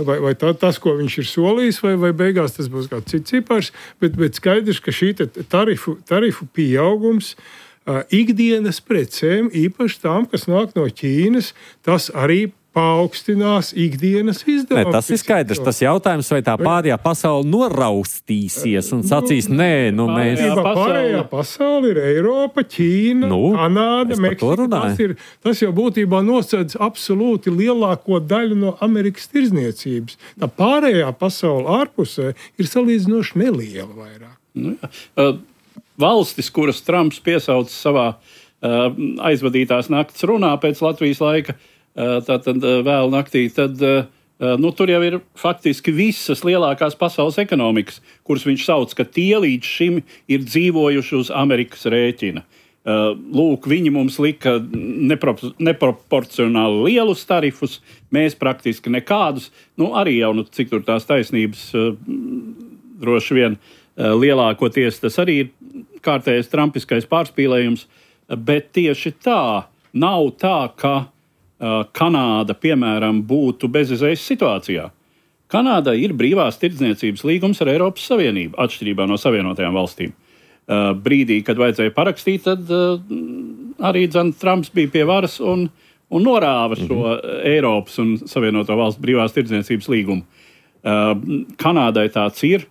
Vai tas, ko viņš ir solījis, vai beigās tas būs kāds cits cipars. Bet skaidrs, ka šī tarifu pieaugums ikdienas precēm, īpaši tām, kas nāk no Ķīnas, tas arī paaugstinās ikdienas izdevumus. Tas ir skaidrs. Tas jautājums, vai tā pārējā pasaule noraustīsies un sacīs, nē, mēs... Pārējā pasaule ir Eiropa, Ķīna, Kanāda, Meksika. Tas jau būtībā nosēdz absolūti lielāko daļu no Amerikas tirzniecības. Tā pārējā pasaule ārpusē ir salīdzinoši neliela vairāk. valstis, kuras Trumps piesauca savā aizvadītās nakts runā pēc Latvijas laika, tātad vēl naktī, tad tur jau ir faktiski visas lielākās pasaules ekonomikas, kuras viņš sauc, ka tie līdz šim ir dzīvojuši uz Amerikas rēķina. Lūk, viņi mums lika neproporcionāli lielus tarifus, mēs praktiski nekādus, arī jau, cik tur tās taisnības droši vien lielākoties, tas arī ir kārtējais trumpiskais pārspīlējums, bet tieši tā, nav tā, ka Kanāda, piemēram, būtu bezizējas situācijā. Kanādai ir brīvās tirdzniecības līgums ar Eiropas Savienību, atšķirībā no Savienotajām valstīm. Brīdī, kad vajadzēja parakstīt, tad arī Trumps bija pie varas un norāva šo Eiropas un Savienoto valstu brīvās tirdzniecības līgumu. Kanādai tāds ir.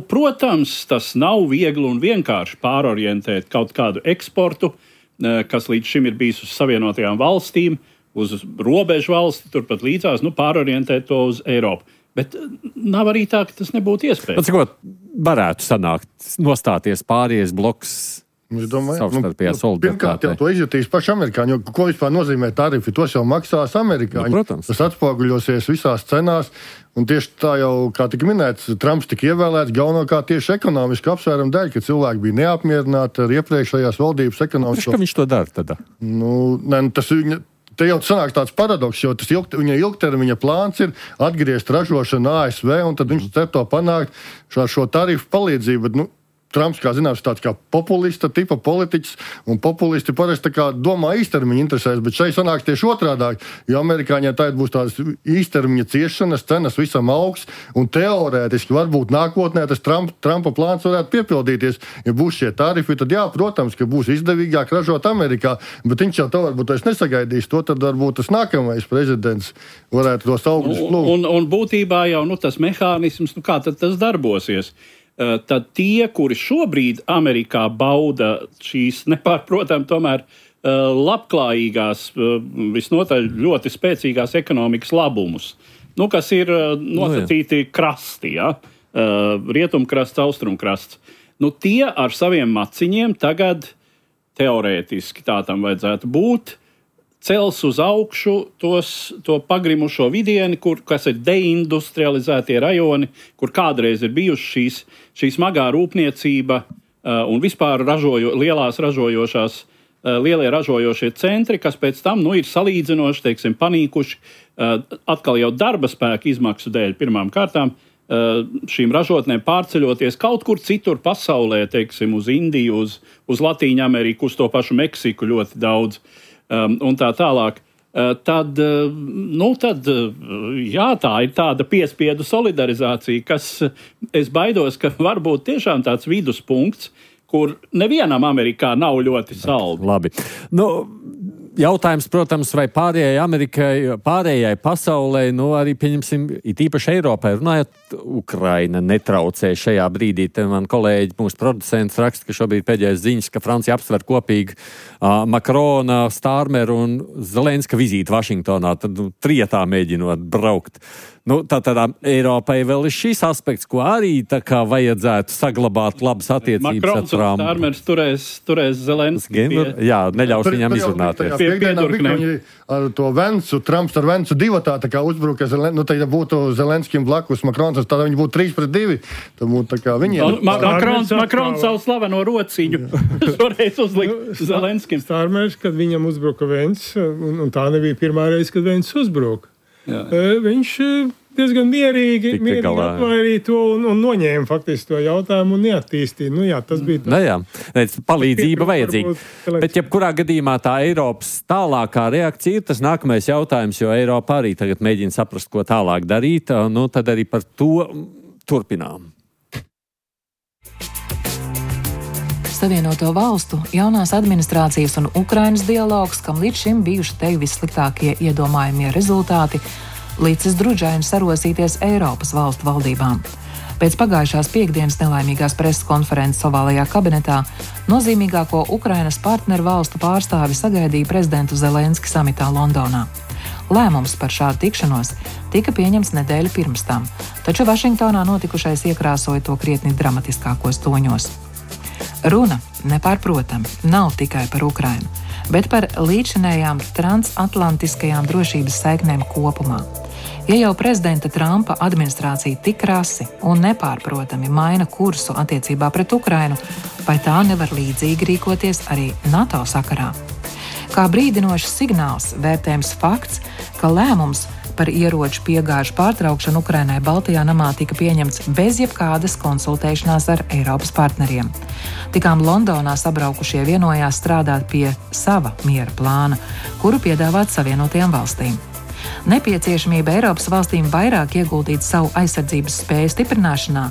Protams, tas nav viegli un vienkārši pārorientēt kaut kādu eksportu, kas līdz šim ir bijis uz Savienotajām valstīm, uz robežu valsti, turpat līdzās, pārorientēt to uz Eiropu. Bet nav arī tā, ka tas nebūtu iespējams. Cikot varētu sanākt, nostāties pāries bloks savstarpējā solidaritātē? Pirmkārt, jau to izjutīs paši amerikāņi, jo ko vispār nozīmē tarifi, tos jau maksās amerikāņi. Protams. Tas atspoguļosies visās cenās, un tieši tā jau, kā tika minēts, Trumps tika ievēlēts galvenokārt tieši ekonomiski apsvērumu dēļ, ka cilvēki bija neapmierināti ar iepriekšējās valdības ekonomisko. Kā viņš to dara tad? Tas te jau sanāk tāds paradoks, jo tas viņa ilgtermiņa plāns ir atgriezt ražošanu ASV, un tad viņš cer to panākt šo tarifu palīdzību. Bet, Trumps, kā zināms, tāds kā populista tipa politiķis, un populisti parasti domā īstermiņa interesēs, bet šeit sanāks tieši otrādāk, jo amerikāņiem tā būs tādas īstermiņa ciešanas, cenas visam augs, un teorētiski varbūt nākotnē tas Trumpa plāns varētu piepildīties. Ja būs šie tarifi, tad jā, protams, ka būs izdevīgāk ražot Amerikā, bet viņš jau to varbūt nesagaidīs, to tad varbūt tas nākamais prezidents varētu tos augļus plūkt. Un būtībā jau tas mehānisms, kā tad tas darbosies? Tad tie, kuri šobrīd Amerikā bauda šīs nepārprotam tomēr labklājīgās, visnotaļ ļoti spēcīgās ekonomikas labumus, kas ir nosacīti krasti, rietumkrasts, austrumkrasts. Tie ar saviem maciņiem tagad teorētiski tā tam vajadzētu būt, cels uz augšu to pagrimušo vidieni, kas ir deindustrializētie rajoni, kur kādreiz ir bijuši šī smagā rūpniecība un vispār lielie ražojošie centri, kas pēc tam ir salīdzinoši, panīkuši, atkal jau darba spēka izmaksu dēļ pirmām kārtām, šīm ražotnēm pārceļoties kaut kur citur pasaulē, uz Indiju, uz Latīņu Ameriku, uz to pašu Meksiku ļoti daudz. Un tā tālāk, tad tā ir tāda piespiedu solidarizācija, kas es baidos, ka varbūt tiešām tāds viduspunkts, kur nevienam Amerikā nav ļoti saldi. Labi. Jautājums, protams, vai pārējai Amerikai, pārējai pasaulē, arī, pieņemsim, it īpaši Eiropai, runājot, Ukraina netraucē šajā brīdī. Te man kolēģi, mūsu producents raksta, ka šobrīd pēdējais ziņas, ka Francija apsver kopīgi Makrona, Stārmeru un Zelenska vizīti Vašingtonā, tad trietā mēģinot braukt. Tādā Eiropai vēl ir šis aspekts, ko arī vajadzētu saglabāt labas attiecības ar Trumpu. Makrons un Stārmers turēs Zelenski. Jā, neļaus viņam izrunāties. Piekdienā viņi ar to Vencu, Trumps ar Vencu divatā uzbruka, tad būtu Zelenskim blakus Makrons, tad viņi būtu 3-2. Tad būtu viņiem. Makrons savu slaveno rociņu šoreiz uzlikt Zelenskim. Stārmers, kad viņam uzbruka Vents, un tā nebija pirmā reize, kad Vents uzbruka. Viņš diezgan mierīgi atvairīja to un noņēma faktiski to jautājumu un neattīstīja. Tas bija palīdzība vajadzīga. Bet jebkurā gadījumā tā Eiropas tālākā reakcija ir tas nākamais jautājums, jo Eiropa arī tagad mēģina saprast, ko tālāk darīt. Tad arī par to turpinām. Savienoto valstu, jaunās administrācijas un Ukrainas dialogs, kam līdz šim bijuši te vissliktākie iedomājamie rezultāti, licis drudžaini sarosīties Eiropas valstu valdībām. Pēc pagājušās piekdienas nelaimīgās preses konferences ovālajā kabinetā nozīmīgāko Ukrainas partneru valstu pārstāvi sagaidīja prezidentu Zelenski samitā Londonā. Lēmums par šādu tikšanos tika pieņemts nedēļu pirms tam, taču Vašingtonā notikušais iekrāsoja to krietni dramatiskākos toņos. Runa, nepārprotami, nav tikai par Ukrainu, bet par līdzinējām transatlantiskajām drošības saiknēm kopumā. Ja jau prezidenta Trumpa administrācija tik krasi un nepārprotami maina kursu attiecībā pret Ukrainu, vai tā nevar līdzīgi rīkoties arī NATO sakarā? Kā brīdinošs signāls vērtējams fakts, ka lēmums par ieroču piegāžu pārtraukšanu Ukrainai Baltijā namā tika pieņemts bez jebkādas konsultēšanās ar Eiropas partneriem. Tikām Londonā sabraukušie vienojās strādāt pie sava miera plāna, kuru piedāvāt Savienotajām valstīm. Nepieciešamība Eiropas valstīm vairāk ieguldīt savu aizsardzības spēju stiprināšanā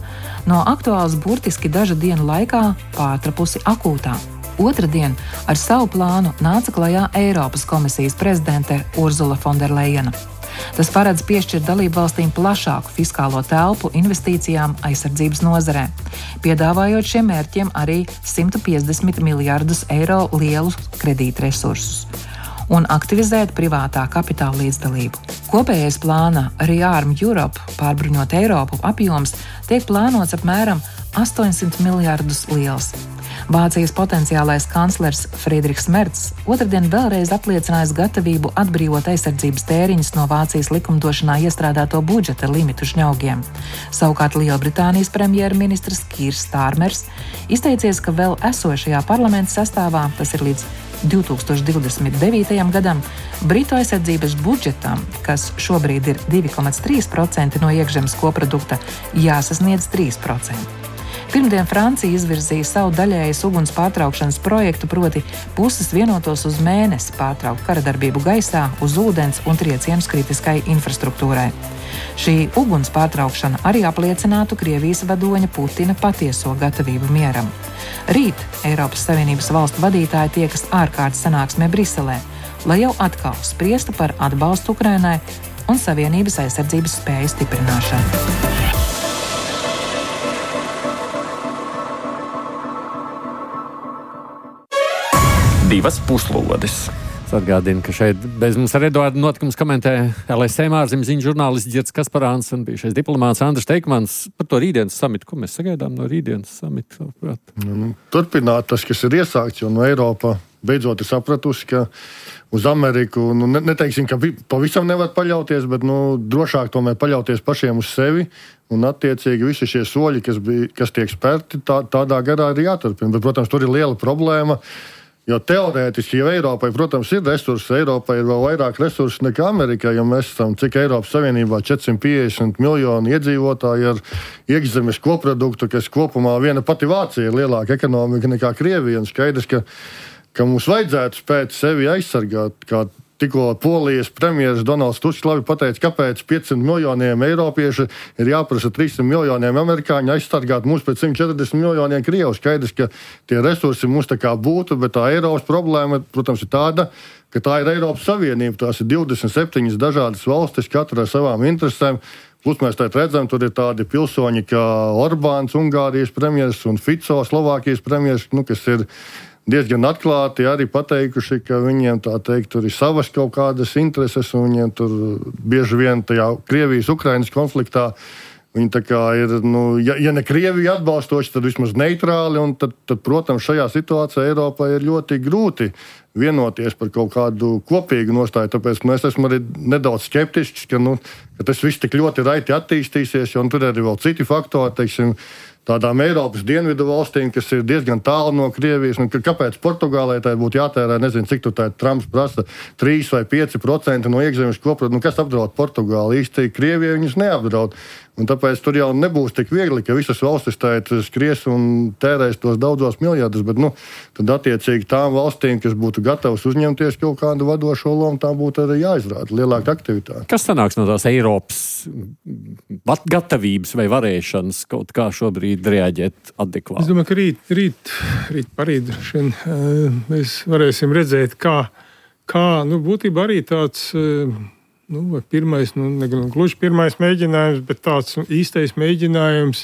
no aktuāls burtiski dažu dienu laikā pārtrapusi akūtā. Otradien ar savu plānu nāca klajā Eiropas komisijas prezidente Urzula Fonderlejena. Tas paredz piešķirt dalību valstīm plašāku fiskālo telpu investīcijām aizsardzības nozarē, piedāvājot šiem mērķiem arī 150 miljardus eiro lielus kredītresursus un aktivizēt privātā kapitāla līdzdalību. Kopējais plāna Rearm Europe, pārbruņot Eiropu, apjoms tiek plānots apmēram 800 miljardus liels. Vācijas potenciālais kanclers Friedrichs Merts otrdien vēlreiz apliecinājis gatavību atbrīvot aizsardzības tēriņus no Vācijas likumdošanā iestrādāto budžeta limitu žņaugiem. Savukārt Lielbritānijas premjerministrs Kīrs Stārmers izteicies, ka vēl esošajā parlamenta sastāvā, tas ir līdz 2029. gadam, Britu aizsardzības budžetam, kas šobrīd ir 2,3% no iekšzemes koprodukta, jāsasniedz 3%. Pirmdien Francija izvirzīja savu daļējas uguns pārtraukšanas projektu, proti puses vienotos uz mēnesi pārtraukt karadarbību gaisā, uz ūdens un triecienus kritiskai infrastruktūrai. Šī uguns pārtraukšana arī apliecinātu Krievijas vadoņa Putina patieso gatavību mieram. Rīt Eiropas Savienības valstu vadītāji tiekas ārkārtas sanāksmē Briselē, lai jau atkal spriestu par atbalstu Ukrainai un Savienības aizsardzības spēju stiprināšanu. Divas puslodes. Atgādinu, ka šeit bez mums ar Eduardu notikums komentē LSM ārzemju ziņu žurnālists Girts Kasparāns un bijušais diplomāts Andris Teikmans par to rītdienas samitu. Ko mēs sagaidām no rītdienas samita? Turpināt tas, kas ir iesākts, jo no Eiropa beidzot ir sapratusi, ka uz Ameriku, neteiksim, ka pavisam nevar paļauties, bet drošāk tomēr paļauties pašiem uz sevi. Un attiecīgi visi šie soļi, kas tiek spērti, tādā garā ir jāturpina. Bet, protams, tur ir liela problēma. Jo teorētiski jau Eiropai, protams, ir resursi. Eiropai ir vēl vairāk resursu nekā Amerikai, jo mēs esam, cik Eiropas Savienībā 450 miljoni iedzīvotāji ar iekšzemes koproduktu, kas kopumā viena pati Vācija ir lielāka ekonomika nekā Krievija. Un skaidrs, ka mums vajadzētu spēt sevi aizsargāt, kā tikko Polijas premjeras Donalds Tusks labi pateica, kāpēc 500 miljoniem eiropiešu ir jāprasa 300 miljoniem amerikāņu aizsargāt mūs pret 140 miljoniem krievu. Skaidrs, ka tie resursi mums tā kā būtu, bet tā Eiropas problēma, protams, ir tāda, ka tā ir Eiropas Savienība. Tās ir 27 dažādas valstis, katra ar savām interesēm. Plus mēs tā redzam, tur ir tādi pilsoņi kā Orbāns, Ungārijas premjeras, un Fico, Slovākijas premjeras, kas ir diezgan atklāti arī pateikuši, ka viņiem tā teikt, tur ir savas kaut kādas intereses, un viņiem tur bieži vien tajā Krievijas-Ukrainas konfliktā viņi tā kā ir, ja ne Krievija atbalstoši, tad vismaz neitrāli, un tad, protams, šajā situācijā Eiropai ir ļoti grūti vienoties par kaut kādu kopīgu nostāju, tāpēc es esmu arī nedaudz skeptisks, ka tas viss tik ļoti raiti attīstīsies, jo tur arī vēl citi faktori, teiksim, tādām Eiropas dienvidu valstīm, kas ir diezgan tālu no Krievijas, un kāpēc Portugālē tā būtu jātērē, nezinu, cik tur tā Trumps prasa, 3 vai 5% no iekšzemes koprodukta, kas apdraud Portugāli? Īsti Krievija viņus neapdraud. Un tāpēc tur jau nebūs tik viegli, ka visas valstis skries un tērēs tos daudzos miljardus, bet tad attiecīgi tām valstīm, kas būtu gatavas uzņemties kaut kādu vadošo lomu, tā būtu arī jāizrāda lielāka aktivitāte. Kas sanāks no tās Eiropas gatavības vai varēšanas kaut kā šobrīd reaģēt adekvāti? Es domāju, ka rīt parīt mēs varēsim redzēt, kā būtībā arī tāds vai pirmais, gluži pirmais mēģinājums, bet tāds īstais mēģinājums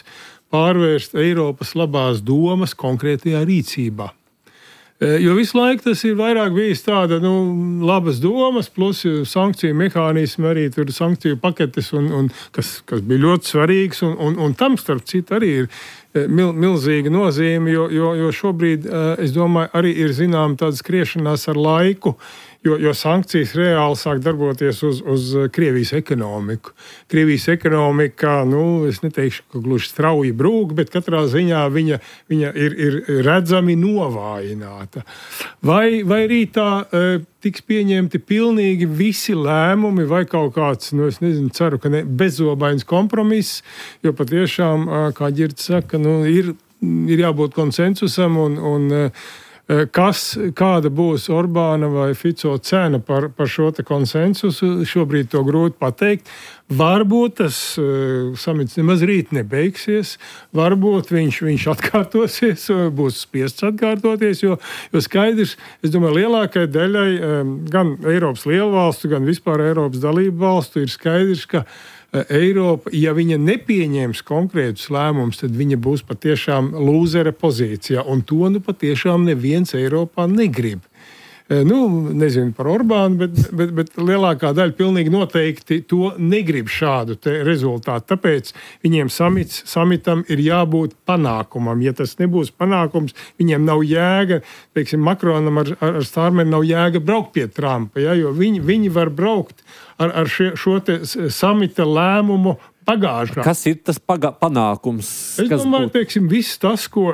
pārvērst Eiropas labās domas konkrētajā rīcībā. Jo visu laiku tas ir vairāk bijis tāda labas domas, plus sankciju mehānismi, arī tur sankciju paketes, kas bija ļoti svarīgs. Un tam, starp citu, arī ir milzīga nozīme, jo šobrīd, es domāju, arī ir zinām tāda skriešanās ar laiku, jo sankcijas reāli sāk darboties uz Krievijas ekonomiku. Krievijas ekonomika, es neteikšu, ka gluži strauji brūk, bet katrā ziņā viņa ir redzami novājināta. Vai rītā tiks pieņemti pilnīgi visi lēmumi vai kaut kāds, es nezinu, ceru, ka ne bezobains kompromiss, jo patiešām, kā Ģirds saka, ir jābūt konsensusam un kāda būs Orbāna vai Fico cena par šo te konsensusu, šobrīd to grūti pateikt. Varbūt tas samits nemaz rīt nebeigsies, varbūt viņš atkārtosies, būs spiests atkārtoties, jo skaidrs, es domāju, lielākai daļai gan Eiropas lielvalstu, gan vispār Eiropas dalību valstu ir skaidrs, ka Eiropa, ja viņa nepieņems konkrētus lēmumus, tad viņa būs patiešām lūzera pozīcijā, un to patiešām neviens Eiropā negrib. Nezinu par Orbānu, bet lielākā daļa pilnīgi noteikti to negrib šādu rezultātu. Tāpēc viņiem samitam ir jābūt panākumam. Ja tas nebūs panākums, viņiem nav jēga, teiksim, Makronam ar Stārmeri nav jēga braukt pie Trumpa, jo viņi var braukt ar šo te samita lēmumu pagājušā. Kas ir tas panākums? Es domāju, teiksim, viss tas, ko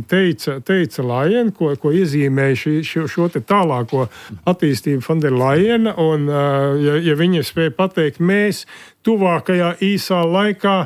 teica Lajena, ko iezīmēja šo te tālāko attīstību von der Lajena, un ja viņa spēja pateikt, mēs tuvākajā īsā laikā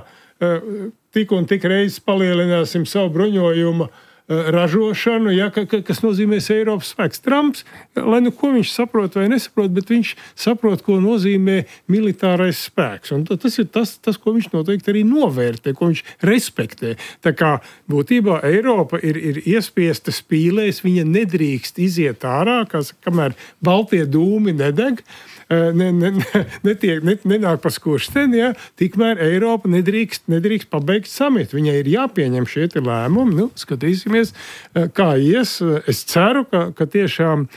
tik un tik reizes palielināsim savu bruņojumu ražošanu, kas nozīmēs Eiropas spēks. Trumps, lai ko viņš saprot vai nesaprot, bet viņš saprot, ko nozīmē militārais spēks. Un tas ir tas, ko viņš noteikti arī novērtē, ko viņš respektē. Tā kā būtībā Eiropa ir iespiesta spīlēs, viņa nedrīkst iziet ārā, kamēr baltie dūmi nedeg, nenāk pa skursteni, tikmēr Eiropa nedrīkst pabeigt samitu. Viņai ir jāpieņem šie lēmumi. Skatīsimies, kā ies. Es ceru, ka tiešām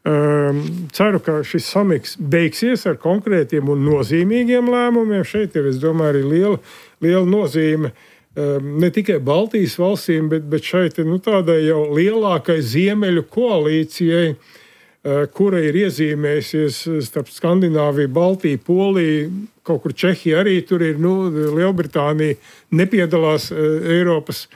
ka šis samits beigsies ar konkrētiem un nozīmīgiem lēmumiem. Šeit ir, es domāju, arī liela nozīme ne tikai Baltijas valstīm, bet šeit tādai jau lielākai ziemeļu koalīcijai, kura ir iezīmējusies starp Skandināviju, Baltiju, Poliju, kaut kur Čehija arī tur ir, Lielbritānija nepiedalās Eiropas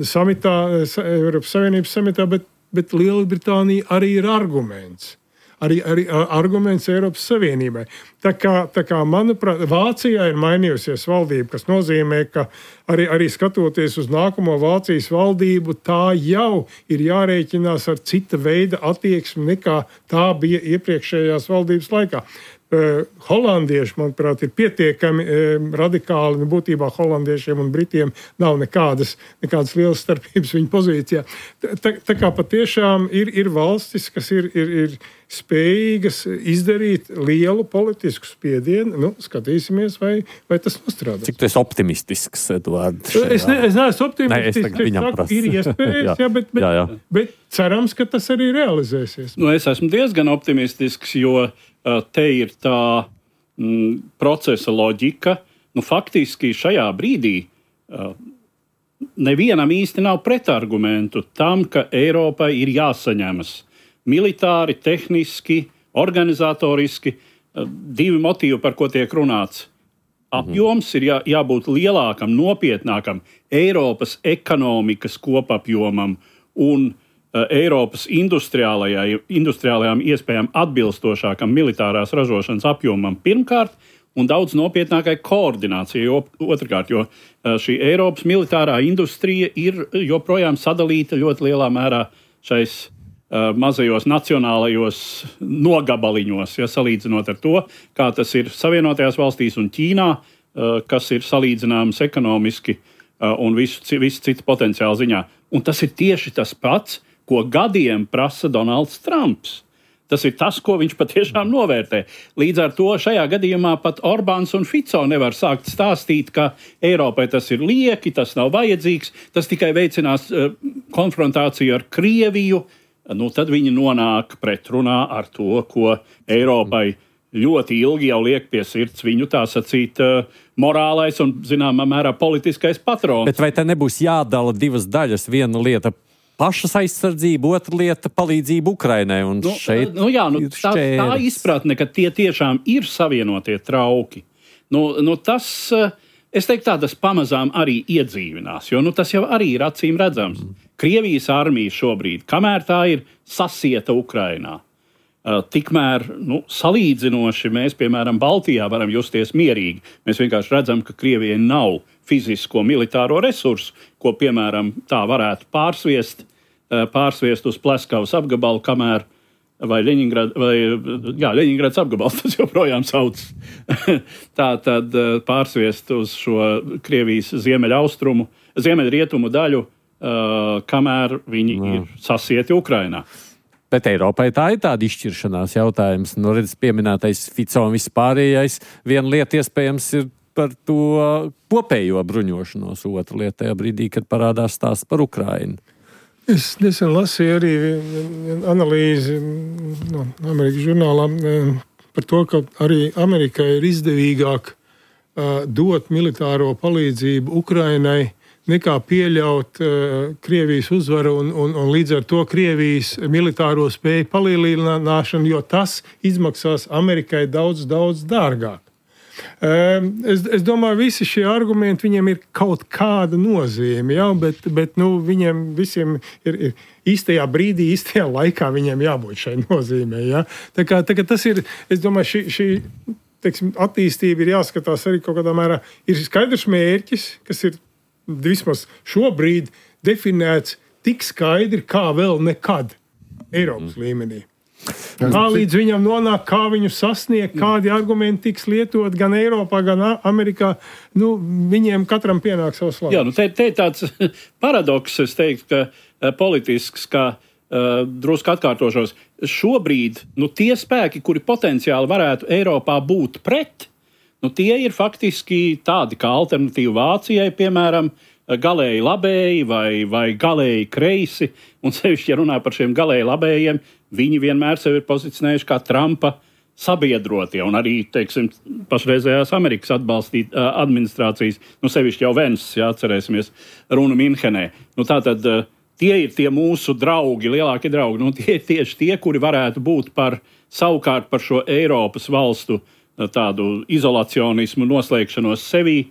samitā, Eiropas Savienības samitā, bet Lielbritānija arī ir arguments. Arī arguments Eiropas Savienībai. Tā kā, manuprāt, Vācijā ir mainījusies valdība, kas nozīmē, ka arī skatoties uz nākamo Vācijas valdību, tā jau ir jārēķinās ar cita veida attieksmi nekā tā bija iepriekšējās valdības laikā. Holandieši, manuprāt, ir pietiekami radikāli. Būtībā holandiešiem un britiem nav nekādas lielas starpības viņu pozīcijā. Tā kā patiešām ir valstis, kas ir spējīgas izdarīt lielu politisku spiedienu. Skatīsimies, vai tas nostrādās. Cik tu esi optimistisks, Eduard? Es neesmu optimistisks. Ir iespējas, bet cerams, ka tas arī realizēsies. Es esmu diezgan optimistisks, jo te ir tā procesa loģika. Faktiski šajā brīdī nevienam īsti nav pretargumentu tam, ka Eiropai ir jāsaņemas militāri, tehniski, organizatoriski. Divi motīvi, par ko tiek runāts. Apjoms ir jābūt lielākam, nopietnākam Eiropas ekonomikas kopapjomam un Eiropas industriālajām iespējām atbilstošākam militārās ražošanas apjomam pirmkārt un daudz nopietnākai koordinācijai otrkārt, jo šī Eiropas militārā industrija ir joprojām sadalīta ļoti lielā mērā šais mazajos nacionālajos nogabaliņos, salīdzinot ar to, kā tas ir Savienotajās valstīs un Ķīnā, kas ir salīdzināms ekonomiski un visu citu potenciālu ziņā. Un tas ir tieši tas pats, ko gadiem prasa Donalds Trumps. Tas ir tas, ko viņš patiešām novērtē. Līdz ar to šajā gadījumā pat Orbāns un Fico nevar sākt stāstīt, ka Eiropai tas ir lieki, tas nav vajadzīgs, tas tikai veicinās konfrontāciju ar Krieviju. Tad viņi nonāk pretrunā ar to, ko Eiropai ļoti ilgi jau liek pie sirds viņu tā sacīt morālais un, zināmā mērā, politiskais patrons. Bet vai te nebūs jādala divas daļas? Viena lieta pašas aizsardzība, otra lieta palīdzība Ukrainai. Un tā izpratne, ka tie tiešām ir savienotie trauki. Tas, es teiktu, tas pamazām arī iedzīvinās, jo tas jau arī ir acīm redzams. Krievijas armija šobrīd, kamēr tā ir sasieta Ukrainā, tikmēr salīdzinoši mēs, piemēram, Baltijā varam justies mierīgi. Mēs vienkārši redzam, ka Krievijai nav fizisko militāro resursu, ko, piemēram, tā varētu pārsviest uz Pleskavas apgabalu, kamēr vai Ļeņingrads apgabals tas joprojām sauc. Tā tad pārsviest uz šo Krievijas ziemeļrietumu daļu, kamēr viņi ir sasieti Ukrainā. Bet Eiropai tā ir tāda izšķiršanās jautājums. Redz, pieminētais Fico un vispārējais. Viena lieta iespējams ir par to kopējo bruņošanos, otra lieta tajā brīdī, kad parādās stāsts par Ukrainu. Es nesen lasīju arī analīzi no Amerikas žurnālā par to, ka arī Amerikai ir izdevīgāk dot militāro palīdzību Ukrainai, nekā pieļaut Krievijas uzvaru un līdz ar to Krievijas militāro spēju palielināšanu, jo tas izmaksās Amerikai daudz, daudz dārgāk. Es domāju, visi šie argumenti, viņiem ir kaut kāda nozīme, bet viņiem visiem ir īstajā brīdī, īstajā laikā viņiem jābūt šai nozīmē. Ja? Tā kā tas ir, es domāju, šī attīstība ir jāskatās arī kaut kādā mērā. Ir skaidrs mērķis, kas ir vismaz šobrīd definēts tik skaidri, kā vēl nekad Eiropas līmenī. Kā līdz viņam nonāk, kā viņu sasniegt, kādi argumenti tiks lietot gan Eiropā, gan Amerikā, viņiem katram pienāk savs labs. Jā, te ir tāds paradoks, es teiktu, ka politisks, ka drusku atkārtošos. Šobrīd, tie spēki, kuri potenciāli varētu Eiropā būt pret, tie ir faktiski tādi kā alternatīva Vācijai, piemēram, galēji labēji vai galēji kreisi. Un sevišķi, ja runā par šiem galēji labējiem, viņi vienmēr sevi ir pozicionējuši kā Trumpa sabiedrotie. Un arī, pašreizējās Amerikas administrācijas, sevišķi jau Vens, atcerēsimies runu Minhenē. Tātad tie ir tie mūsu draugi, lielākie draugi. Tie ir tieši tie, kuri varētu būt savukārt par šo Eiropas valstu tādu izolacionismu, noslēgšanos sevī,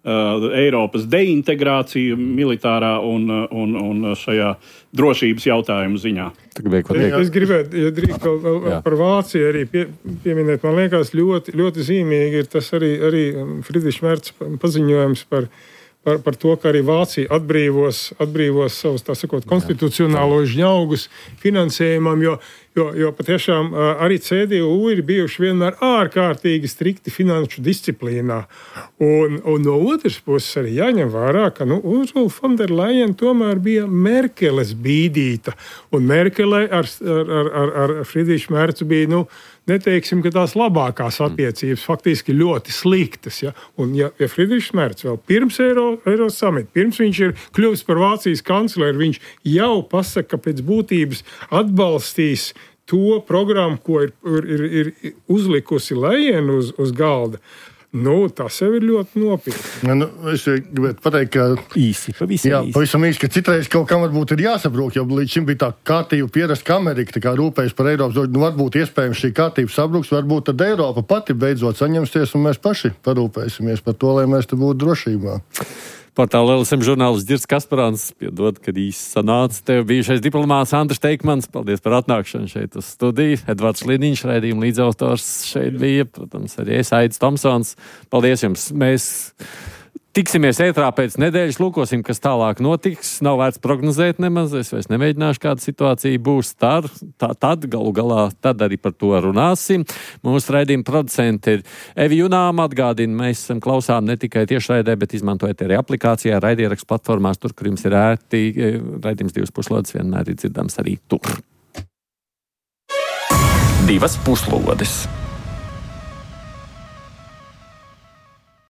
Eiropas deintegrāciju militārā un šajā drošības jautājumu ziņā. Es gribētu, ja drīk par Vāciju arī pieminēt, man liekas ļoti, ļoti zīmīgi ir tas arī Friedrichs Merz paziņojums par to, ka arī Vācija atbrīvos savus, tā sakot, konstitucionālos žņaugus finansējumam, jo patiešām arī CDU ir bijuši vienmēr ārkārtīgi strikti finanšu disciplīnā. Un no otras puses arī jāņem vērā, ka Ursula von der Leyen tomēr bija Merkeles bīdīta. Un Merkele ar Friedrichu Merzu bija, neteiksim, ka tās labākās attiecības faktiski ļoti sliktas. Ja? Un ja Friedrichs Merz vēl pirms Eiro samita, pirms viņš ir kļuvis par Vācijas kancleru, viņš jau pasaka, ka pēc būtības atbalstīs to programmu, ko ir uzlikusi Leyen uz galda. Tas jau ir ļoti nopietni. Es gribētu pateikt, ka pavisam īsi, ka citreiz kaut kam varbūt ir jāsabrūk, jo līdz šim bija tā kārtība pierast, ka Amerika tā kā rūpējas par Eiropas, varbūt iespējams šī kārtība sabruks, varbūt tad Eiropa pati beidzot saņemsies un mēs paši parūpēsimies par to, lai mēs te būtu drošībā. Portāla LSM žurnālists Girts Kasparāns, piedod, kad īsi sanāca. Tev bijušais diplomāts Andris Teikmans, paldies par atnākšanu šeit uz studiju. Edvards Liniņš, raidījuma līdzautors šeit bija, protams, arī es, Aidis Tomsons. Paldies jums! Mēs tiksimies ētrā pēc nedēļas, lūkosim, kas tālāk notiks. Nav vērts prognozēt nemaz, es vairs nemēģināšu, kāda situācija būs. Tad galu galā arī par to runāsim. Mūsu raidījuma producenti ir Evi Junām, atgādina, mēs esam klausām ne tikai tiešraidē, bet izmantojot arī aplikācijā, raidierakstu platformās, tur, kur jums ir ērti. Raidījums 2 puslodes vienmēr ir dzirdams arī tur. divas puslodes.